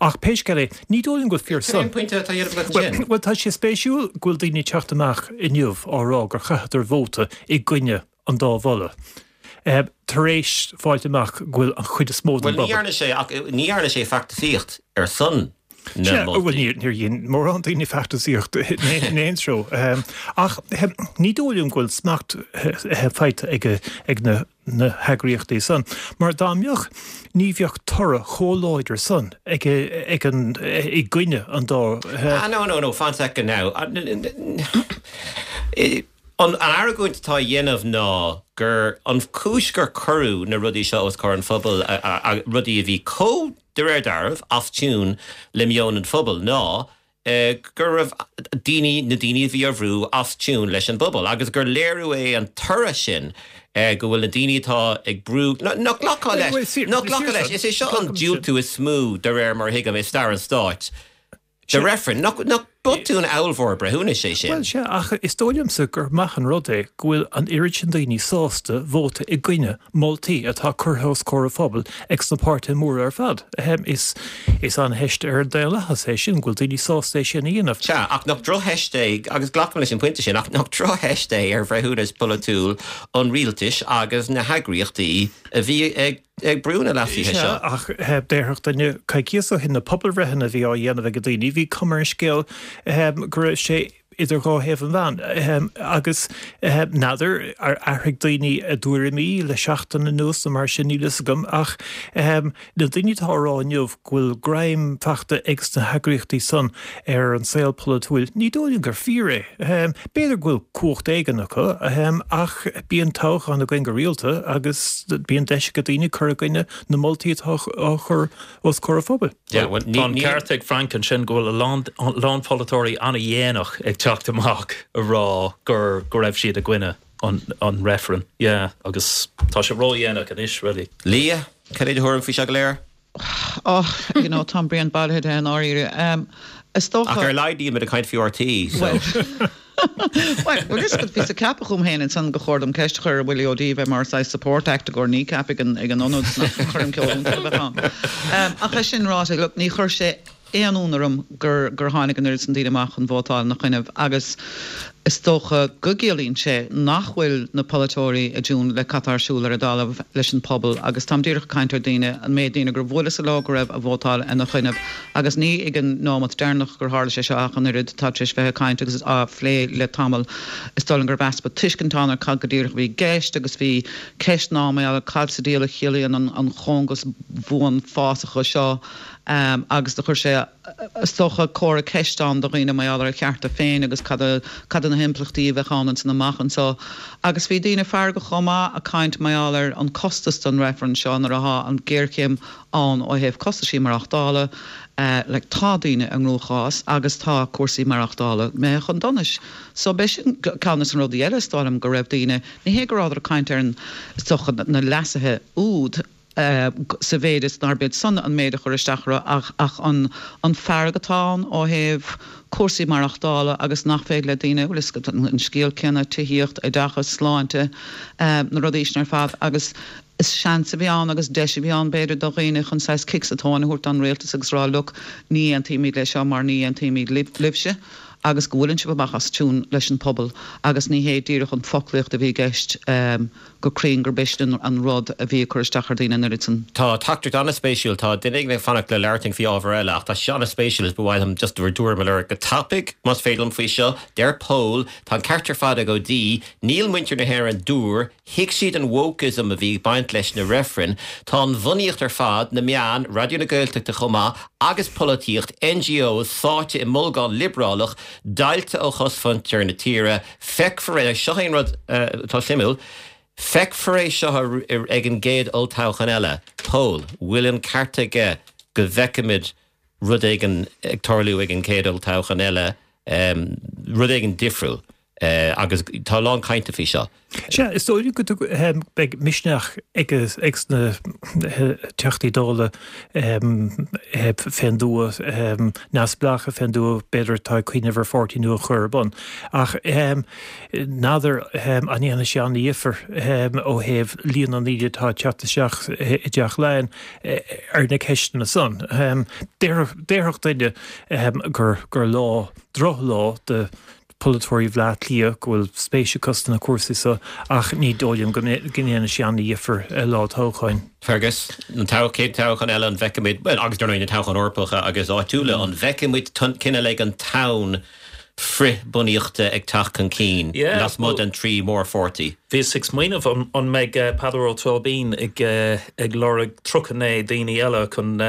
Speaker 4: Ach pé scéal é, ní dóigh liom go bhfuil fíor san.
Speaker 1: Cén pointe atá dhéanamh agat ansin?
Speaker 4: Bhuel, tá sé spéisiúil go bhfuil daoine ag teacht amach inniu á rá gur chaitheadar vóta i gcoinne an dá mholadh. Tar éis fáilt amach go bhfuil an chuid is mó den
Speaker 1: bpobal. Bhuel, ní dhearna sé ach ní dhearna sé feachtasaíocht ar son na moltaí.
Speaker 4: Bhuel, níor dhein mórán daoine feachtasaíocht in aon treo. Ach ní dóigh liom go bhfuil smacht faighte ag na na heagraíochtaí san. Mar dá mbeadh, ní bheadh toradh chomh láidir san ag ag an i gcoinne an dá.
Speaker 1: Ah, no, no, no, fan second now. An argóint atá á dhéanamh ná gur an chúis gur cuireadh na rudaí seo os comhair an phobail, rudaí a bhí chomh, de réir dealraimh, as tiún le meon an phobail, ná go raibh daoine, na daoine a bhí á bhrú, as tiún leis an bpobal agus gur léiriú é an toradh sin go bhfuil na daoine atá ag brú, nach nglacfá leis, nach nglacfá leis, is é seo an diúltú is mó de réir mar a thuigim i stair an stáit. Do reifreann. Nach botún ollmhór breithiúnais é sin?
Speaker 4: Bhuel, sea, ach is dóigh liomsa gur maith an rud é go bhfuil an oiread sin daoine sásta vóta i gcoinne moltaí atá curtha os comhair an phobail ag sna páirtithe móra ar fad. Is is an-theist ar an daonlathas é sin, go bhfuil daoine sásta é sin a dhéanamh.
Speaker 1: Sea, ach nach drochtheist é, agus glacaim leis an bpointe sin, ach nach drochtheist é ar bhreithiúnas polaitiúil an rialtais agus na heagraíochtaí a bhí ag ag brú na leasuithe seo.
Speaker 4: Sea, ach déarfadh duine coicíos ó shin na pobalbhreitheanna a bhí á dhéanamh ag daoine, bhí cuma ar an scéal go raibh sé idir dhá thaobh an mheáin. Agus n'fheadar ar athraigh daoine a dtuairimí le seachtain anuas nó mar sin, níl fhios agam, ach na daoine atá á rá inniu go bhfuil greim faighte ag sna heagraíochtaí san ar an saol polaitiúil, ní dóigh liom gur fíor é. B'fhéidir go bhfuil cumhacht éigin acu, ach bíonn toghcháin againn go rialta agus bíonn deis ag daoine cur i gcoinne na moltaí atá á chur os comhair an phobail.
Speaker 2: Tá an ceart ag Frank ansin go bhfuil a lán lán polaiteoirí an-dhéanach ag teacht amach a rá gur go raibh siad i gcoinne an an reifreann. Yeah, agus tá sé ródhéanach anois, really.
Speaker 1: Leah, cad é do thuairim faoi seo go léir?
Speaker 3: Oh, you know, tá an braon bailithe de i ndáiríre. Um, is dócha...
Speaker 1: Ach ar a laghad níl muid ag caint faoi RTÉ, so...
Speaker 3: Well, well, is bhíos ag ceapadh chugam féin ansan gur chóir dom ceist a chur ar Willie O'Dea bheith mar saghas support act i gcomhair Kneecap ag an ag an ionad nach choirm ceoil iontach a bheadh ann. Um, ach é sin ráite, look, ní chuir sé aon ionadh orm gur gur tháinig an oiread san daoine amach chun vótáil ina choinnibh agus Is dócha go gciallaíonn sé nach bhfuil na polaiteoirí i dtiún le cad tá ar siúl ar an dtalamh leis an pobal agus táim díreach ag caint ar daoine, an méid daoine gur bhuaileas leo go raibh a vótáil ina choinnibh agus ní ag an nóimeat deireanach gur tharla sé seo ach an oiread, tá tar éis bheith ag caint agus á phlé le tamall. Is dóigh liom go raibh easpa tuiscint ann ar cad go díreach a bhí i gceist agus bhí ceisteanna ann mar gheall ar cad sa diabhal a chiallaíonn an chóngas bhuan fásacha seo agus do chuir sé is dócha comhartha ceiste ann do dhaoine mar gheall ar a chearta féin agus cad a cad na himpleachtaí a bheadh ann ansan amach anso. Agus bhí daoine feargach chomh maith ag caint mar gheall ar an costas don reifreann seo nuair athá an géarchéim ann ó thaobh costaisí maireachtála, like tá daoine i gcruachás agus tá cúrsaí maireachtála imithe chun donais. So b'é sin ceann des na rudaí eile is dóigh liom go raibh daoine, ní hé go rabhadar ag caint ar an, is dócha na leasuithe úd, sa mhéid is nár b'iad san an méid a chuir isteach orthu ach ach an an fearg atá ann ó thaobh cúrsaí maireachtála agus nach féidir le daoine, bhuel is an scéal céanna, tithíocht, oideachas, sláinte, na rudaí sin ar fad agus is seans a bhí ann agus deis a bhí ann b'fhéidir do dhaoine chun saghas cic sa tóin a thabhairt don rialtas agus rá look ní aontaímid leis seo mar ní aontaímid libhse agus go bhfuileann sibh amach as tiún leis an pobal agus ní hé díreach an foclaíocht a bhí i gceist go cruinn gurb é sin an rud a bhí ag cur isteach ar dhaoine an oiread san.
Speaker 1: Tá teachtaireacht an-spéisiúil, tá duine éigin ag fanacht le labhairt faoi ábhar eile ach tá sé an-spéisiúil is ba mhaith liom just bhur dtuairim a lorg go tapaidh más féidir liom faoi seo. Deir Pól, tá an ceart ar fad ag Ó Dí, níl muintir na hÉireann dúr, thuig siad an wokeism a bhí ag baint leis na reifrinn, tá an bhunaíocht ar fad, na meáin, Raidió na Gaeltachta chomh maith, agus polaitíocht, NGOs, sáite i mbolgán liobrálach, deighilte ó chosmhuintir na tíre. Feicfear é, seo é an rud atá suimiúil, feicfear é seo ag an gcéad olltoghchán eile. Pól, bhfuil an ceart aige go bhfeicfimid rud éigin ag tarlú ag an gcéad olltoghchán eile, rud éigin difriúil? Agus tá a lán cainte faoi seo.
Speaker 4: Sea, is dóigh go beidh misneach ag na Teachtaí Dála fén dtuath, neamhspleácha fén dtuath, b'fhéidir atá ag cuimhneamh ar pháirtí nua a chur ar bun. Ach n'fheadar an ndéanfaidh sé an-difear ó thaobh líon na ndaoine atá ag teacht isteach i dTeach Laighean ar na ceisteanna san. Déarfadh duine gur lá, drochlá do polaiteoirí Bhaile Átha Cliath go bhfuil spéis acu sna cúrsaí seo ach ní dóigh liom go ndéanfaidh sé an-difear lá toghcháin.
Speaker 1: Fergus, an chéad toghchán eile an bhfeicfimid, bhuel agus dar ndóigh na toghcháin Eorpacha agus áitiúla, an bhfeicfimid cineál an tonn frith-bhunaíochta ag teacht chun cinn lasmuigh den trí mhórpháirtí?
Speaker 2: Bhíos ag smaoineamh an mbeidh Peadar Ó Tóibín ag ag lorg tríocha naoi daoine eile chun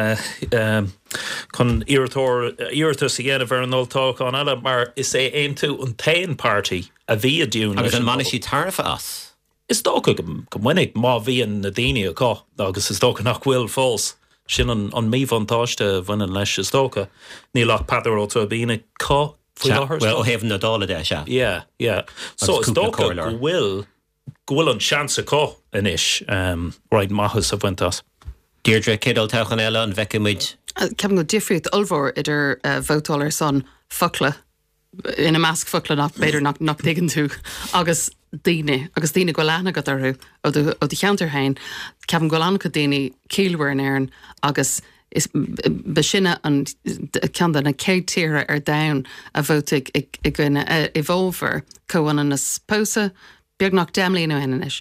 Speaker 2: chun iarratóir iarratas a dhéanamh ar an olltoghchán eile mar is é Aontú an t-aon páirtí a bhí i dtiún
Speaker 1: Agus an mbainfidh siad tairbhe as?
Speaker 2: Is dócha go mbainfidh má bhíonn na daoine acu agus is dócha nach bhfuil fós. Sin an an míbhuntáiste a bhaineann leis is dócha. Níl ach Peadar Ó Tóibín acu faoi láthair.
Speaker 1: Bhuel ó thaobh na Dála de, sea.
Speaker 2: Yeah, yeah. So is dócha go bhfuil go bhfuil an seans acu anois roinnt maitheas a bhaint as.
Speaker 1: Deirdre, céad olltoghchán eile an bhfeicfidh muid?
Speaker 5: Ceapaim go bhfuil difríocht ollmhór idir vótáil ar son focla, ina measc focla nach b'fhéidir nach nach dtuigeann tú, agus daoine, agus daoine go bhfuil aithne agat orthu ó do ó do cheantar féin. Ceapaim go bhfuil an-chuid daoine ciallmhar in Éirinn agus Is ba sinne an ceann de na chéad tíortha ar domhan a vótaigh i gcoinne, i bhfabhar comhionannas pósadh, beagnach deich mbliana ó shin anois.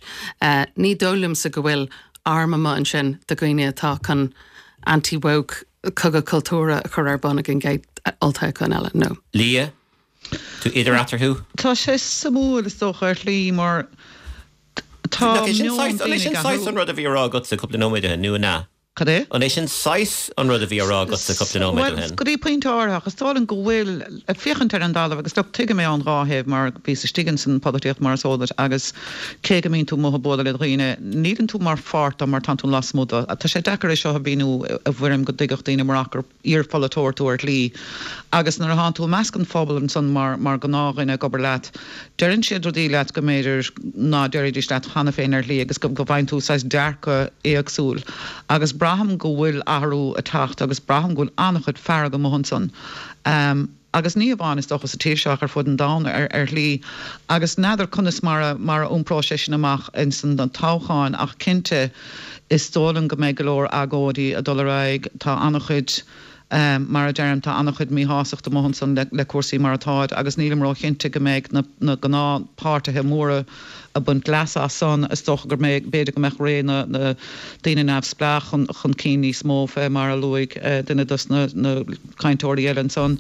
Speaker 5: Ní dóigh liomsa go bhfuil arm amuigh ansin de dhaoine atá chun anti-woke cogadh cultúrtha a chur ar bun ag an gcéad olltoghchán eile, no.
Speaker 1: Leah, tú idir eatarthu?
Speaker 3: Tá sé suimiúil is dócha ar shlí mar tá
Speaker 1: meon daoine ag athrú. An é sin saghas an rud a bhí á rá agatsa cúpla nóiméad ó shin, nó an ea?
Speaker 3: Cad é?
Speaker 1: An é sin saghas an rud a bhí á rá agatsa cúpla nóiméad ó
Speaker 3: Bhuel,
Speaker 1: shin?
Speaker 3: go dtí pointe áirithe, ach is dóigh liom go bhfuil, ag féachaint ar an dtalamh, agus look, tuigim é ón dhá thaobh mar bhíos istigh ins an pholaitíocht mar is eol duit agus cé go mbíonn tú amuigh ag bualadh le dhaoine, níleann tú mar pháirt de mar tánn tú lasmuigh de. Tá sé deacair é seo a mhíniú i bhfoirm go dtuigfeadh daoine murach gur iarpholaiteoir tú ar shlí. Agus nuair atánn tú i measc an phobail ansan mar mar ghnáthdhuine ag obair leat, deireann siad rudaí leat go mb'fhéidir ná déarfaidís leat cheana féin ar shlí agus go go bhfaigheann tú saghas dearcadh éagsúil. Agus braithim go bhfuil athrú ag teacht agus braithim go bhfuil an-chuid fearg amuigh ansan. Agus ní amháin is dócha sa tír seo ach ar fud an domhain ar ar shlí. Agus n'fheadar conas mar a mar a iompróidh sé sin amach ins an toghchán ach cinnte is dóigh liom go mbeidh go leor agóidí ag dul ar aghaidh. Tá an-chuid Mar a deirim, tá an-chuid míshástachta amuigh ansan le cúrsaí mar atáid agus nílim róchinnte go mbeidh na gnáthpháirtithe móra ag baint leas as san. Is dócha go mbeidh, b'fhéidir go mbeadh ré na ndaoine neamhspleách chun cinn níos mó fé mar a luaigh duine dos na cainteoirí eile ansan.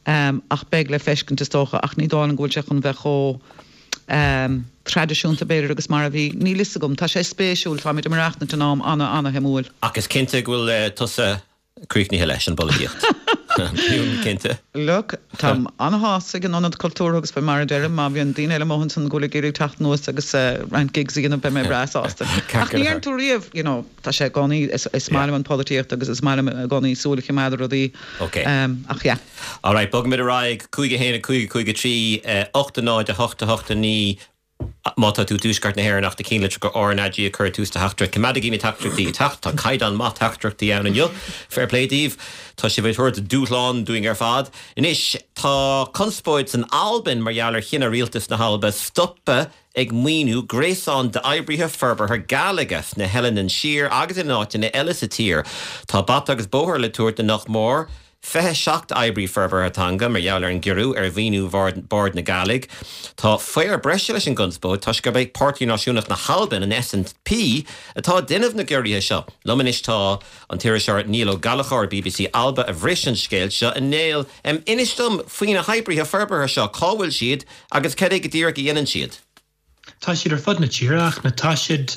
Speaker 3: Ach beidh le feiscint is dócha ach ní dóigh liom go bhfuil sé chun bheith chomh traidisiúnta b'fhéidir agus mar a bhí. Níl fhios agam. Tá sé spéisiúil, táimid ag maireachtaint in am ana-ana-shuimiúil.
Speaker 1: Ach is cinnte go bhfuil tusa críochnaithe leis an bpolaitíocht. Cinnte.
Speaker 3: Look, táim ana-shásta ag an Ionad Cultúrtha agus fé mar a deirim, má bhíonn daoine eile amuigh ansan go bhfuil ag iarraidh teacht anuas agus roinnt gigs a dhéanamh beidh mé breá sásta. Ach ní deireann tú riamh, you know, tá sé i gcónaí, is maith liom an pholaitíocht agus is maith liom i gcónaí súil a choimeád ar rudaí.
Speaker 1: Ok.
Speaker 3: Ach yeah.
Speaker 1: Alright, bogfaimid ar aghaidh, cúig a haon, a cúig, a cúig a trí, ocht a náid, a hocht, a hocht a naoi, Má tá tú i dTuaisceart na hÉireann ach do chinnlitreacha RnaG a chur tús do theachtaireacht, coimeádaigí na teachtaireachtaí ag teacht, tá caighdeán maith teachtaireachtaí ann inniu. Fair play daoibh. Tá sibh ag tabhairt dúshlán dúinn ar fad. Anois, tá conspóid san Albain mar gheall ar chinneadh rialtas na hAlba stopadh ag maoiniú gréasán d'oibrithe forbartha Gàidhlige sna hEileanan Siar agus in áiteanna eile sa tír. Tá bata agus bóthar le tabhairt do nach mór fiche seacht oibrí forbartha teanga mar gheall ar an gciorrú ar mhaoiniú Bhord na Gàidhlig. Tá faobhar breise leis an gconspóid toisc gurb é Páirtí Náisiúnach na hAlban, an SNP, atá ag déanamh na gciorruithe seo. Liom anois tá an t-iriseoir Niall Ó Gallchóir, BBC Alba, a bhris an scéal seo. A Néill, inis dom faoi na hoibrithe forbartha seo, cá bhfuil siad agus cad é go díreach a dhéanann siad?
Speaker 6: Tá siad ar fud na tíre ach na tá siad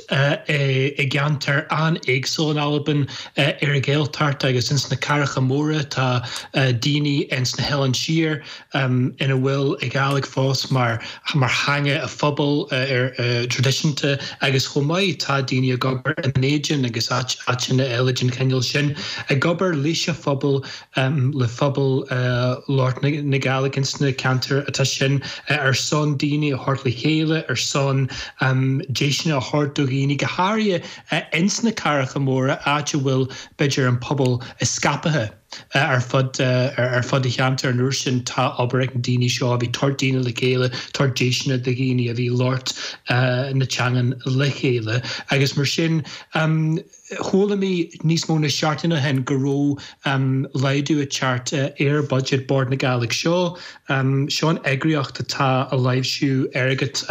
Speaker 6: i gceantair an-éagsúil in Albain, ar an Ghaeltacht agus ins na cathracha móra. Tá daoine ins na hOileáin Siar ina bhfuil an Ghàidhlig fós mar mar theanga a phobail traidisiúnta agus chomh maith tá daoine ag obair i mBinn Éadain agus áiteanna eile den chineál sin, ag obair leis an phobal, le phobal labhairt na Gàidhlig ins na ceantair atá sin ar son daoine a thabhairt le chéile, ar son deiseanna a thabhairt do dhaoine, go háirithe ins na cathracha móra, áit a bhfuil b'fhéidir an pobal scaipthe ar fud ar fud an cheantair. An uair sin tá obair ag na daoine seo a bhí tabhairt daoine le chéile, tabhairt deiseanna do dhaoine a bhí labhairt na teangan le chéile agus mar sin chuala mé níos mó na seachtain ó shin go raibh laghdú ag teacht ar budget Bord na Gàidhlig. Seo seo an eagraíocht atá ag láimhsiú airgead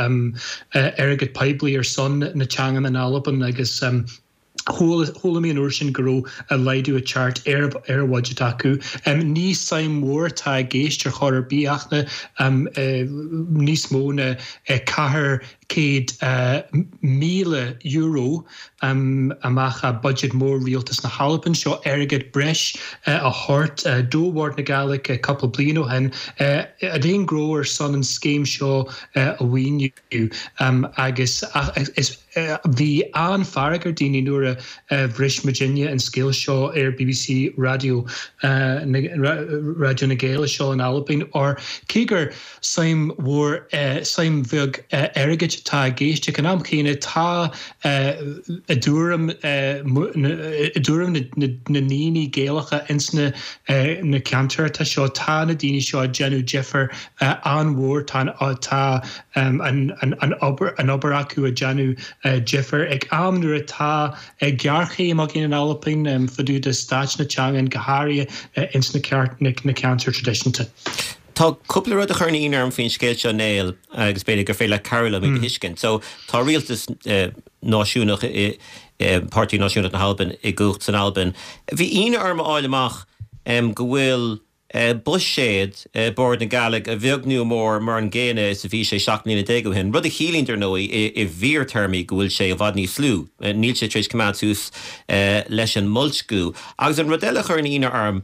Speaker 6: airgead poiblí ar son na teangan in Albain agus chuala chuala mé an uair sin go raibh laghdú ag teacht ar ar an bhudget acu. Ní suim mhór atá i gceist ar chor ar bith ach na níos mó na ceathair céad míle euro amach as budget mór rialtas na hAlban. Seo airgead breis a thabhairt do Bhord na Gàidhlig cúpla bliain ó shin ar aon ghnó ar son an scéim seo a mhaoiniú agus is bhí an-fhearg ar daoine nuair a bhris muidinne an scéal seo ar BBC Raidió Raidió na Gaeilge seo in Albain or cé gur suim mhór suim bheag airgid atá i gceist ag an am chéanna tá i dtuairim i dtuairim na ndaoine Gaelacha ins na na ceantair atá seo tá na daoine seo ag déanamh difear an-mhór tá tá an an obair an obair acu ag déanamh difear ag am nuair atá géarchéim againn in Albain fá dtaobh de staid na teangan go háirithe ins na na ceantair traidisiúnta.
Speaker 1: Tá cúpla rud a chuireann ionadh orm faoin scéal seo Néill agus b'fhéidir gur féidir leat cabhrú liom iad a thuiscint. So tá rialtas náisiúnach i Páirtí Náisiúnach na hAlban i gcumhacht san Albain. Bhí ionadh orm a fháil amach go bhfuil buiséad Bord na Gàidhlig a bheag nó a mhór mar an gcéanna is a bhí sé seacht mbliana déag ó shin, rud a chiallaíonn dar ndóigh i bhfíorthéarmaí go bhfuil sé i bhfad níos lú. Níl sé tar éis coimeád suas leis an mboilsciú. Agus an rud eile a chuireann ionadh orm,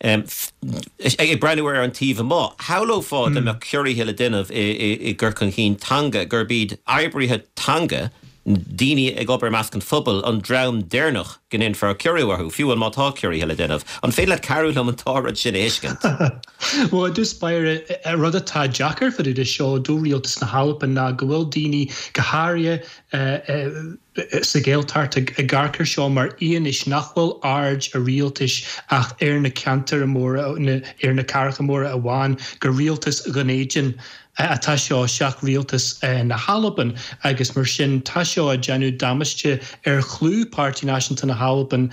Speaker 1: ag breathnú ar an taobh amuigh, shamhlófá dá mbeadh ciorruithe le déanamh i gcur chun cinn teanga, gurb iad oibrithe teanga, daoine ag obair i measc an phobail, an dream deireanach go ndéanfar ciorrú orthu, fiú má tá ciorruithe le déanamh. An féidir leat cabhrú liom an dá rud sin a thuiscint?
Speaker 6: Bhuel, i dtús báire, rud atá deacair fá dtaobh de seo do rialtas na hAlban ná go bhfuil daoine, go háirithe sa Ghaeltacht, ag amharc air seo mar fhianaise nach bhfuil aird a rialtais ach ar na ceantair mhóra, ar na cathracha móra amháin, gur rialtas Dhún Éideann atá seo seach rialtas na hAlban agus mar sin tá seo ag déanamh damáiste ar chlú Páirtí Náisiúnta na hAlban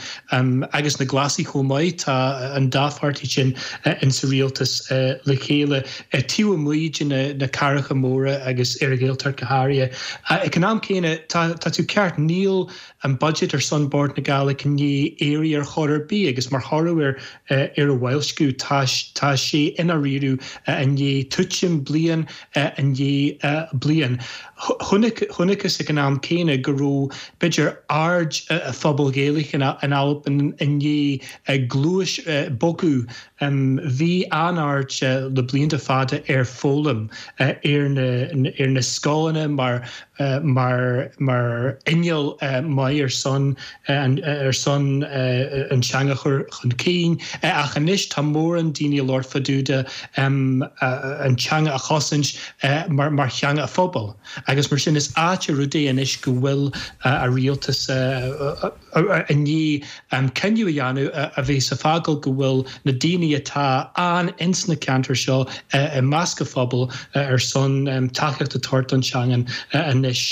Speaker 6: agus na Glasaigh chomh maith tá an dá pháirtí sin insa rialtas le chéile taobh amuigh de na cathracha móra agus ar an Ghaeltacht go háirithe. Ag an am céanna tá tú ceart níl an budget ar son Bord na Gàidhlig i ndiaidh éirí ar chor ar bith agus mar thoradh ar ar a bhoilsciú tá tá sé ina riú i ndiaidh tuitim bliain i ndiaidh bliain. Chonacthas ag an am céanna go raibh b'fhéidir aird a phobal Gaelach in Albain i ndiaidh gluais bogadh. Bhí an-aird le blianta fada ar foghlaim ar na ar na scoileanna mar mar mar inneall maith ar son ar son an teanga chur chun cinn ach anois tá mórán daoine ag labhairt fá dtaobh de an teanga a chosaint mar mar theanga a phobail agus mar sin is ait an rud é anois go bhfuil a rialtas i ndiaidh cinneadh a dhéanamh a bheas ag fágáil go bhfuil na daoine atá ann ins na ceantair seo i measc a phobal ar son tacaíocht a thabhairt don teangain anois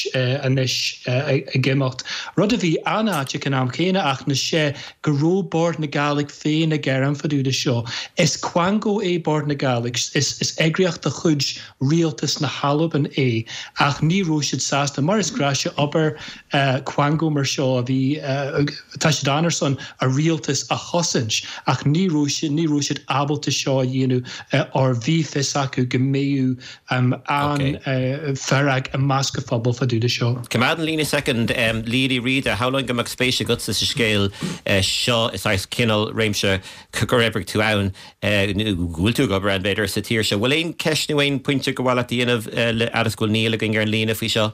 Speaker 6: anois ag imeacht. Rud a bhí an-ait ag an am céanna ach ná sé go raibh Bord na Gàidhlig féin ag gearán fá dtaobh de seo. Is quango é Bord na Gàidhlig, is is eagraíocht de chuid rialtas na hAlban é ach ní raibh siad sásta mar is gnách sé obair quango mar seo a bhí tá siad ann ar son a rialtas a chosaint ach ní raibh siad ní raibh siad ábalta seo a dhéanamh or bhí fios acu go mbeadh an-fhearg i measc an phobail fá dtaobh de seo.
Speaker 1: Coimeád an líne soicind, Liadh Ní Riada, shamhlóinn go mbeadh spéis agatsa sa scéal seo, is saghas cineál réimse gur oibrigh tú ann, nó go bhfuil tú ag obair ann, b'fhéidir, sa tír seo. Bhfuil aon cheist nó aon pointe gur mhaith leat a dhéanamh le fhad is go bhfuil Niall againn ar an líne faoi seo?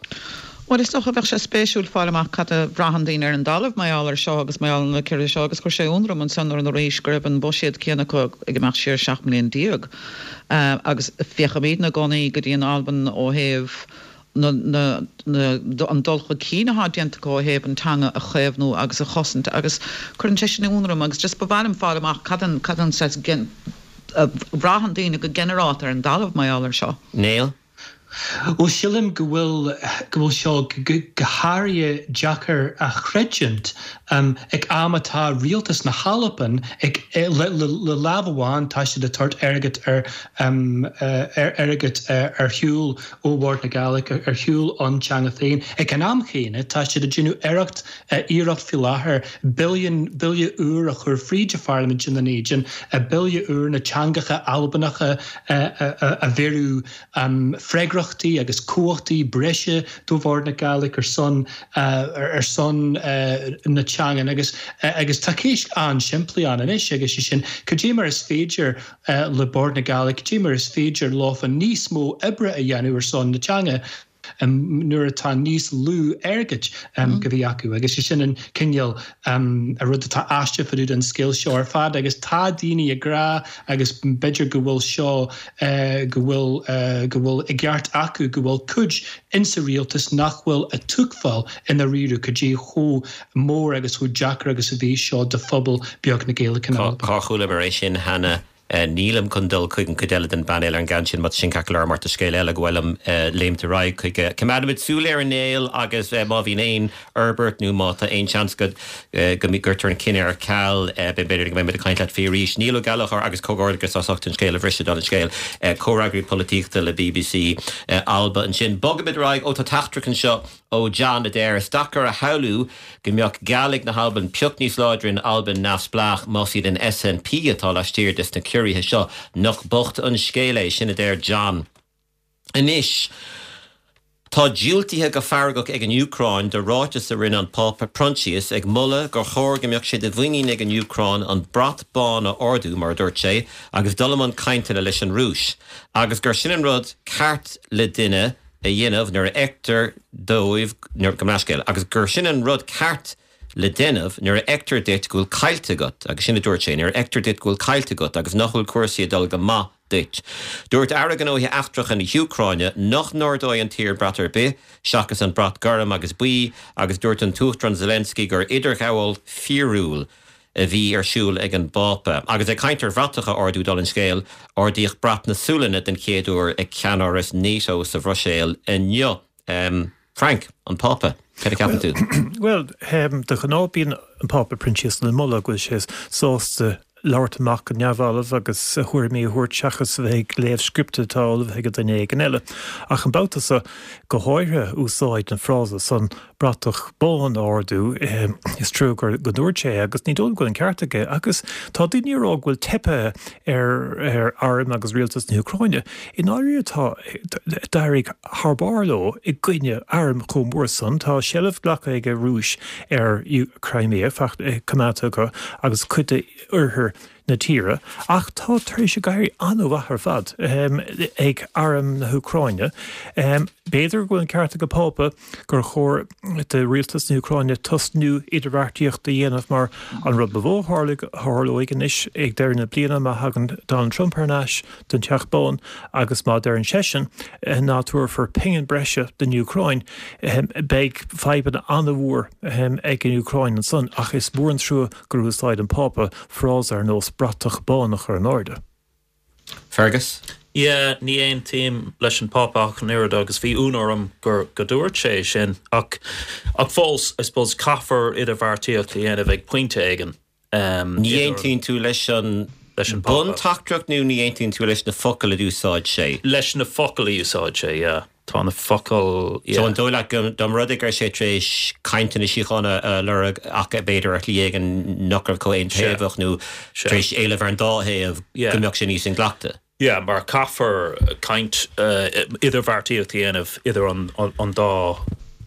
Speaker 3: Bhuel, is dócha bheadh sé spéisiúil fáil amach cad a bhraitheann daoine ar an dtalamh mar gheall air seo agus mar gheall ar na ciorruithe seo agus chuir sé ionadh orm ansan nuair arís go raibh an buiséad céanna acu ag imeacht siar seacht mbliain déag agus féachaimidne i gcónaí go dtí an Albain ó thaobh na, na, na, an dul chun cinn atá déanta acu ó thaobh an teanga a chaomhnú agus a chosaint agus cuireann sé sin ionadh orm agus just ba mhaith liom fáil amach cad an, cad an saghas a bhraitheann daoine go ginearálta ar an dtalamh mar gheall air seo.
Speaker 1: Niall?
Speaker 6: Bhuel, sílim go bhfuil go bhfuil seo go háirithe deacair a chreidiúint ag am atá rialtas na hAlban ag le le lámh amháin tá siad ag tabhairt airgead ar ar airgead ar shiúl ó Bhord na Gàidhlig ar shiúl ón teanga féin. Ag an am chéanna tá siad ag déanamh iarracht iarracht faoi láthair billiún bille úr a chur fríd an pharlaimint i nDún Éideann, bille úr na teangacha Albanacha a bheiriú freagrachtaí agus cumhachtaí breise do Bhord na Gàidhlig ar son ar son na teangan agus agus tá ceist an-simplí ann anois agus sé sin cad é mar is féidir le Bord na Gàidhlig, cad é mar is féidir leofa níos mó oibre a dhéanamh ar son na teanga nuair atá níos lú airgid go bhí acu agus sé sin an cineál a rud atá aisteach fá dtaobh den scéal seo ar fad agus tá daoine ag rá agus b'fhéidir go bhfuil seo go bhfuil go bhfuil i gceart acu go bhfuil cuid insa rialtas nach bhfuil ag tuigbheáil i ndáiríre cad é chomh mór agus chomh deacair agus a bhí seo do phobal beag na Gaeilge in Albain.
Speaker 1: Cár chualamar é sin cheana? Nílim chun dul chuig an chuid eile den bpainéal ar an gceann sin, má tá sin ceart go leor mar tá scéal eile go bhfuilim léimt ar aghaidh chuige. Coimeádfaimid súil air a Néill agus má bhíonn aon fhorbairt nó má tá aon seans go go gcuirtear an cinneadh ar ceal, b'fhéidir go mbeimid ag caint leat faoi arís. Niall Ó Gallchóir agus comhghairdeachas as ucht an scéal a bhriseadh don scéal. Comhfhreagraí polaitíochta le bbc Alba ansin. Bogaimid ar aghaidh, ó tá teachtaireacht anseo ó John a deir, Is deacair a shamhlú go mbeadh Gàidhlig na hAlban pioc níos láidre in Albain neamhspleách más iad an SNP atá laistiar des na ciorruithe seo. Nach bocht an scéal é sin a deir John. Anois, tá diúltaithe go feargach ag an Úcráin do ráiteas a rinne an Pápa Proinsias ag moladh gur chóir go mbeadh sé de mhuinín ag an Úcráin an brat bán a ardú, mar a dúirt sé, agus dul i mbun cainteanna leis an Rúis, agus gur sin an rud ceart le duine a dhéanamh nuair a fheictear dóibh, gabh mo leithscéal, agus gur sin an rud ceart le déanamh nuair a fheictear duit go bhfuil caillte agat, agus sin a dúirt sé, nuair a fheictear duit go bhfuil caillte agat agus nach bhfuil cúrsaí ag dul go maith duit. Dúirt Aire Gnóthaí Eachtracha na hÚcráine nach n-ardóidh an tír brat ar bith seachas an brat gorm agus buí agus dúirt an tUachtarán Zelensky gur idirghabháil fíorúil a bhí ar siúl ag an bPápa. Agus ag caint ar bhratacha a ardú dála an scéil, ardaíodh brat na Sualainne den chéad uair ag ceannáras NATO sa Bhruiséil inniu. Um, Frank, an Pápa, cad a cheapann tú?
Speaker 4: Well, de ghnáth bíonn an Pápa Proinsias le moladh go bhfuil sé sásta labhairt amach go neamhbhalbh agus a thuairimí a thabhairt seachas a bheith ag léamh scripte atá ullmhaithe ag duine éigin eile. Ach an babhta seo, go háirithe úsáid an frása san bratach bán a ardú, is trua gur go ndúirt sé agus ní dóigh liom go bhfuil an ceart aige agus tá daoine ag rá go bhfuil teipthe ar ar arm agus rialtas na hÚcráine. I ndáiríre tá d'éirigh thar barr leo i gcoinne arm chomh mór san. Tá seilbh glactha ag an Rúis ar Crimea, coimeádta acu agus cuid de oirthear na tíre, ach tá tar éis ag éirí an-mhaith ar fad ag arm na hÚcráine. B'fhéidir go bhfuil an ceart ag an Phápa gur chóir do rialtas na hÚcráine tosnú idirbheartaíocht a dhéanamh mar an rud ba mhó a tharlóidh anois ag deireadh na bliana má thagann Donald Trump thar n-ais don Teach Bán agus má deireann seisean ná tabharfar pingin breise don Úcráin, beidh fadhbanna an-mhór ag an Úcráin ansan ach is mór an trua gur úsáid an Pápa frása ar nós bratach bán a chur in airde.
Speaker 1: Fergus?
Speaker 2: Yeah, ní aontaím leis an Pápa ach an oiread agus bhí ionadh orm gur go dúirt sé sin ach ach fós I suppose caithfear idirbheartaíocht a dhéanamh ag pointe éigin. Um,
Speaker 1: ní aontaíonn tú leis an
Speaker 2: leis an Pápa.
Speaker 1: Bunteachtaireacht nó ní aontaíonn tú leis na focail a d'úsáid sé?
Speaker 2: Leis na focail a úsáid sé, yeah. Tá na focail, yeah.
Speaker 1: So an dóigh leat go dá mba rud é go raibh sé tar éis cainteanna síochána a lorg ach b'fhéidir ar shlí éigin nach raibh chomh aontaobhach nó tar éis éileamh ar an dá thaobh go mbeadh sé níos inghlactha?
Speaker 2: Yeah, mar caithfear caint idirbheartaíocht a dhéanamh idir an an dá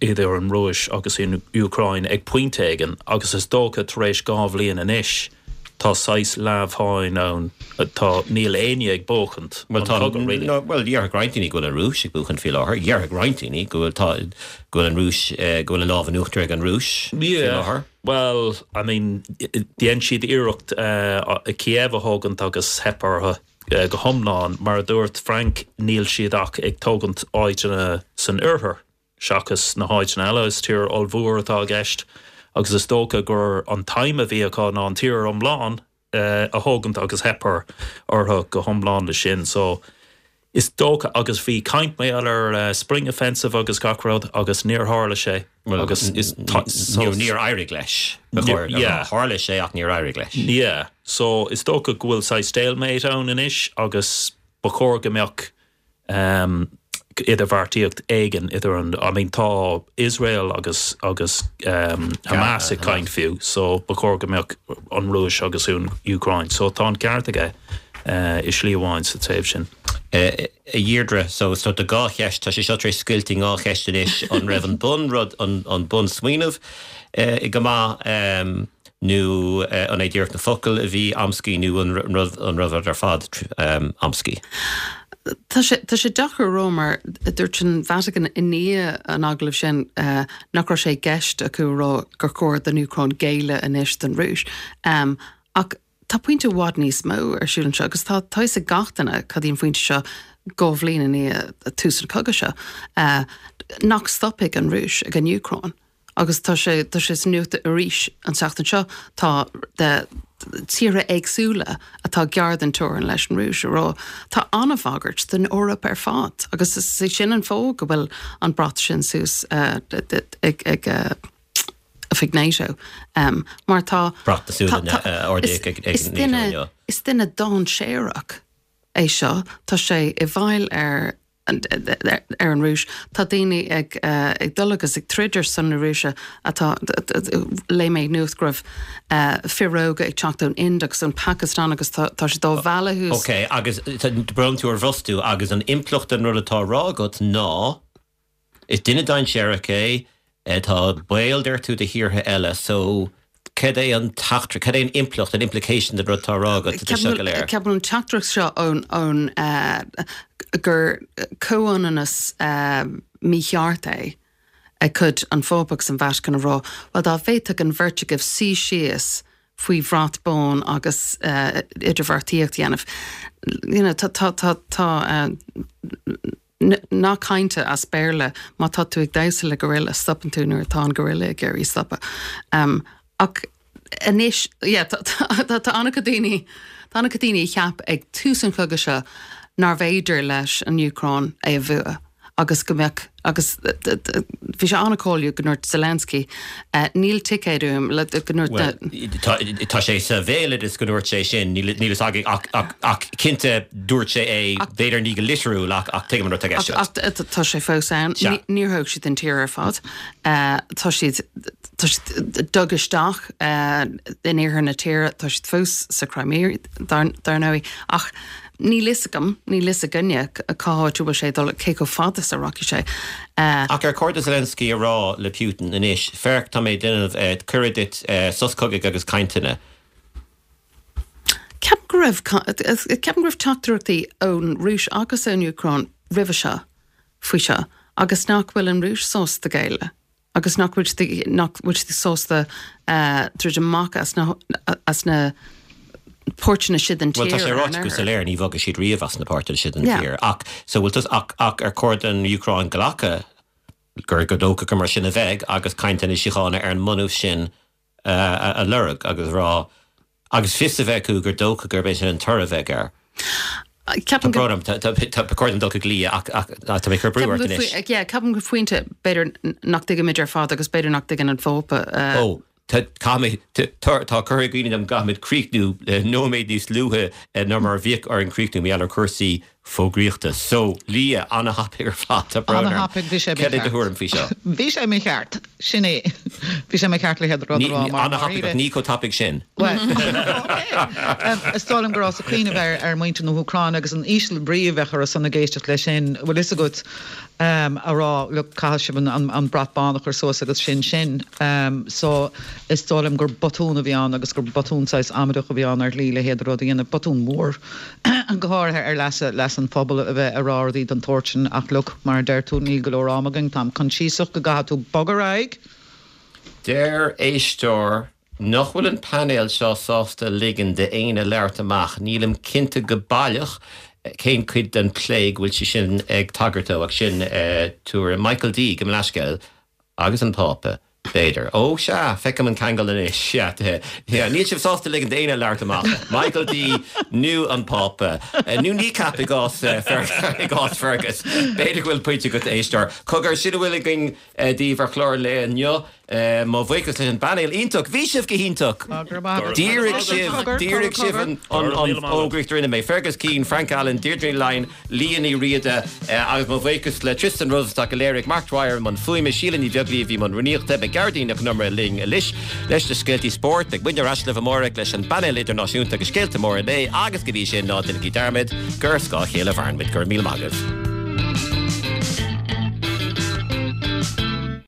Speaker 2: idir an Rúis agus an Úcráin ag pointe éigin agus is dócha tar éis dhá bhliain anois tá saghas leamhsháinn ann tá níl éinne ag buachaint
Speaker 1: Bhuel tá really. No, well déarfadh roinnt daoine go bhfuil an Rúis ag buachaint faoi láthair. Déarfadh roinnt daoine go bhfuil tá go bhfuil an Rúis go bhfuil an lámh in uachtar ag an Rúis faoi
Speaker 2: Yeah.
Speaker 1: láthair.
Speaker 2: Well, I mean, dhein siad iarracht uh, Kiev a thógaint agus theip orthu uh, go hiomlán mar a dúirt Frank níl siad ach ag tógaint áiteanna san oirthear seachas na háiteanna eile is tír ollmhór atá i gceist agus is dócha gur an t-aidhm a bhí acu ná an tír iomlán uh, a thógaint agus theip orthu go hiomlán le sin so is dócha agus bhí caint mé ar uh, spring offensive agus gach rud agus níor tharla sé agus is
Speaker 1: so, níor éirigh leis.
Speaker 2: Yeah.
Speaker 1: Tharla sé ach níor éirigh leis.
Speaker 2: Yeah, so is dócha go bhfuil saghas stalemate ann anois agus ba chóir go mbeadh um, idirbheartaíocht éigin idir an I mean tá Israel agus agus um, Hamas ag caint fiú, so ba chóir go mbeadh an Rúis agus an Úcráin, so tá an ceart aige uh, i slí amháin sa taobh sin.
Speaker 1: Uh, a Dheirdre so so de dhá cheist tá sé seo tar éis scoilt i dhá cheist anois an raibh an bunrud an, an bunsmaoineamh uh, i go maith um, nó uh, an é díreach na focail a bhí amscaí nó an rud an raibh ar fad um, amscaí.
Speaker 5: Tá sé tá sé deacair rá mar dúirt an Vatican i ndiaidh an agallaimh sin uh, nach raibh sé i gceist acu rá gur chóir don Úcráin géilleadh anois don Rúis. Um, ach tá pointe i bhfad níos mó ar siúl anseo agus tá tá a fhios ag gach duine cad í an phointe seo dhá bhliain i ndiaidh tús an chogaidh seo uh, nach stopfaidh an Rúis ag an Úcráin. Agus tá sé tá sé sa nuacht arís an tseachtain seo tá de tíortha éagsúla atá gar don teorainn leis an Rúis a rá tá an-bhagairt don Eoraip ar fad agus is é sin an fáth go bhfuil an brat sin suas uh, ag ag uh, oifig NATO um, mar tá
Speaker 1: Brat na
Speaker 5: is, is duine is duine dainséarach é seo tá sé i bhfeighil ar ar an Rúis tá daoine ag uh, ag dul agus ag troid ar son na Rúise atá léigh mé nuacht go raibh uh, fir óga ag teacht ón Ind agus ón Pakistan agus tá sé dá bhealach.
Speaker 1: Ok, agus brón tú ar bhrostú agus an impleacht den rud atá á rá agat ná is duine dainséarach é tá baol deir tú do thíortha eile, so cad é an teachtaireacht, cad é an impleacht an implication den rud atá á rá agat seo go léir.
Speaker 5: Ceapaim an teachtaireacht seo ón ón uh, gur comhionannas uh, mícheart é ag cuid an Phápa agus an Vatican a rá, well dá bhféadfadh an bheirt agaibh suí síos faoi bhrat bán agus uh, idirbheartaíocht a dhéanamh. You know, tá tá tá tá uh, nath cainte as Béarla má tá tú ag damhsa le gorilla stopann tú nuair atá an gorilla ag iarraidh stopadh. Um, ach Anois, yeah, tá an-chuid daoine, tá an-chuid daoine a cheap ag tús an chogaidh seo nárbh fhéidir leis an Úcráin é a bhua agus go mbeadh, agus bhí sé an-cháiliúil go ndúirt Zelensky, níl ticéad uaim le, go ndúirt
Speaker 1: Bhuel, tá sé sa bhéaloideas go ndúirt sé sin, níl a fhios againn ach, ach, ach cinnte dúirt sé é, b'fhéidir ní go litriúil ach, ach tuigim an rud atá i gceist
Speaker 5: agat. Ach tá sé fós ann. Níor thóg siad an tír ar fad. Tá siad, tá siad dug isteach in iarthar na tíre, tá siad fós sa Crimea, dar, dar ndóigh, ach níl fhios agam, níl fhios againne cá háit a bhfuil sé ag dul, cé chomh fada is a rachaidh sé.
Speaker 1: Ach ar chóir do Zelensky a rá le Putin anois, féach, tá mé ag déanamh cuireadh duit sos cogaidh agus cainteanna.
Speaker 5: Ceapaim go raibh, ceapaim go raibh teachtaireachtaí ón Rúis agus ón Úcráin roimhe seo faoi seo agus nach bhfuil an Rúis sásta géilleadh agus nach bhfuil siad, nach bhfuil siad sásta druid amach as na, as na páirteanna sin den
Speaker 1: tír. Bhuel, tá sé ráite go soiléir, ní bhogfaidh siad riamh as na páirteanna sin den tír. Ach, so bhfuil tusa, ach, ach ar chóir don Úcráin glacadh gur, gur dócha gur mar sin a bheidh agus cainteanna síochána ar an mbunús sin a lorg agus a rá, agus fios a bheith acu gur dócha gurb é sin an toradh a bheidh air.
Speaker 5: Ceapaim
Speaker 1: go. Tá brón orm, tá, tá, tá, ba chóir dom dul chuig Lia ach, ach, tá mé ag cur brú ort anois.
Speaker 5: Yeah, ceapaim go pointe, b'fhéidir nach dtuigimid ar fad agus b'fhéidir nach dtuigeann an Phápa.
Speaker 1: Ó, Tá, caithfimid, tá, tá curtha i gcuimhne dom go gcaithfimid críochnú nóiméad níos luaithe ná mar a bhíodh orainn críochnú mar gheall ar chúrsaí fógraíochta. So, Lia, an-thapaidh ar fad, tá brón orm.
Speaker 3: An-thapaidh, bhí sé
Speaker 1: Cad é do
Speaker 3: mícheart.
Speaker 1: thuairim faoi seo?
Speaker 3: Bhí sé mícheart, sin é. Bhí sé mícheart le rud a
Speaker 1: Ní,
Speaker 3: rá mar
Speaker 1: an-thapaidh ach ní chomh tapaidh sin.
Speaker 3: Bhuel, ok. Is dóigh liom go rabhas ag cuimhneamh ar, ar mhuintir na hÚcráine agus an íseal brí a bheadh orthu san ag éisteacht leis sin, bhfuil fhios agat, a rá look caithfidh sibh an brat bán a chur suas agus sin sin. So is dóigh liom gur botún a bhí ann agus gur botún saghas amaideach a bhí ann ar shlí le héad rud a dhéanamh, botún mór go háirithe ar leas leas an phobail a bheith a rá rudaí den tsórt sin ach look mar a deir tú níl go leor am againn, táim coinsiasach go gcaithfidh tú bogadh ar aghaidh.
Speaker 1: Deir éisteoir Nach bhfuil an painéal seo sásta ligean d'éinne labhairt amach? Nílim cinnte go baileach cén cuid den plé go bhfuil sé sin ag tagairt dó, ach sin tuairim Michael D. Gabh mo leithscéal. Agus an Pápa, b'fhéidir. Ó, sea, feicim an ceangal anois. Sea, sea. Níl sibh sásta ligean d'éinne labhairt amach. Michael D. nó an Pápa. Nó Kneecap i gcás i gcás Fergus. B'fhéidir go bhfuil pointe agat, a éisteoir. Cogar, sin a bhfuil againn daoibh ar chlár an lae inniu. Mo bhuíochas leis an bpainéal iontach. Bhí sibh go hiontach! D'éirigh sibh, d'éirigh sibh an fhógraíocht a rinne mé. Fergus Keane, Frank Allen, Deirdre Ní Laighin, Liadh Ní Riada agus mo bhuíochas le Tristan Rosenstock a léirigh, Mark Dwyer i mbun fuaime, Síle Ní Bheaglaoí a bhí i mbun rúnaíochta, beidh Gearóidín Nic Con Iomaire linn anois leis na scéaltaí spóirt. Beidh muidne ar ais libh amárach leis an bpainéal idirnáisiúnta agus scéalta móra an lae agus go dtí sin ná déanaigí dearmad gur ar scáth a chéile a mhaireann muid. Go raibh míle maith agaibh.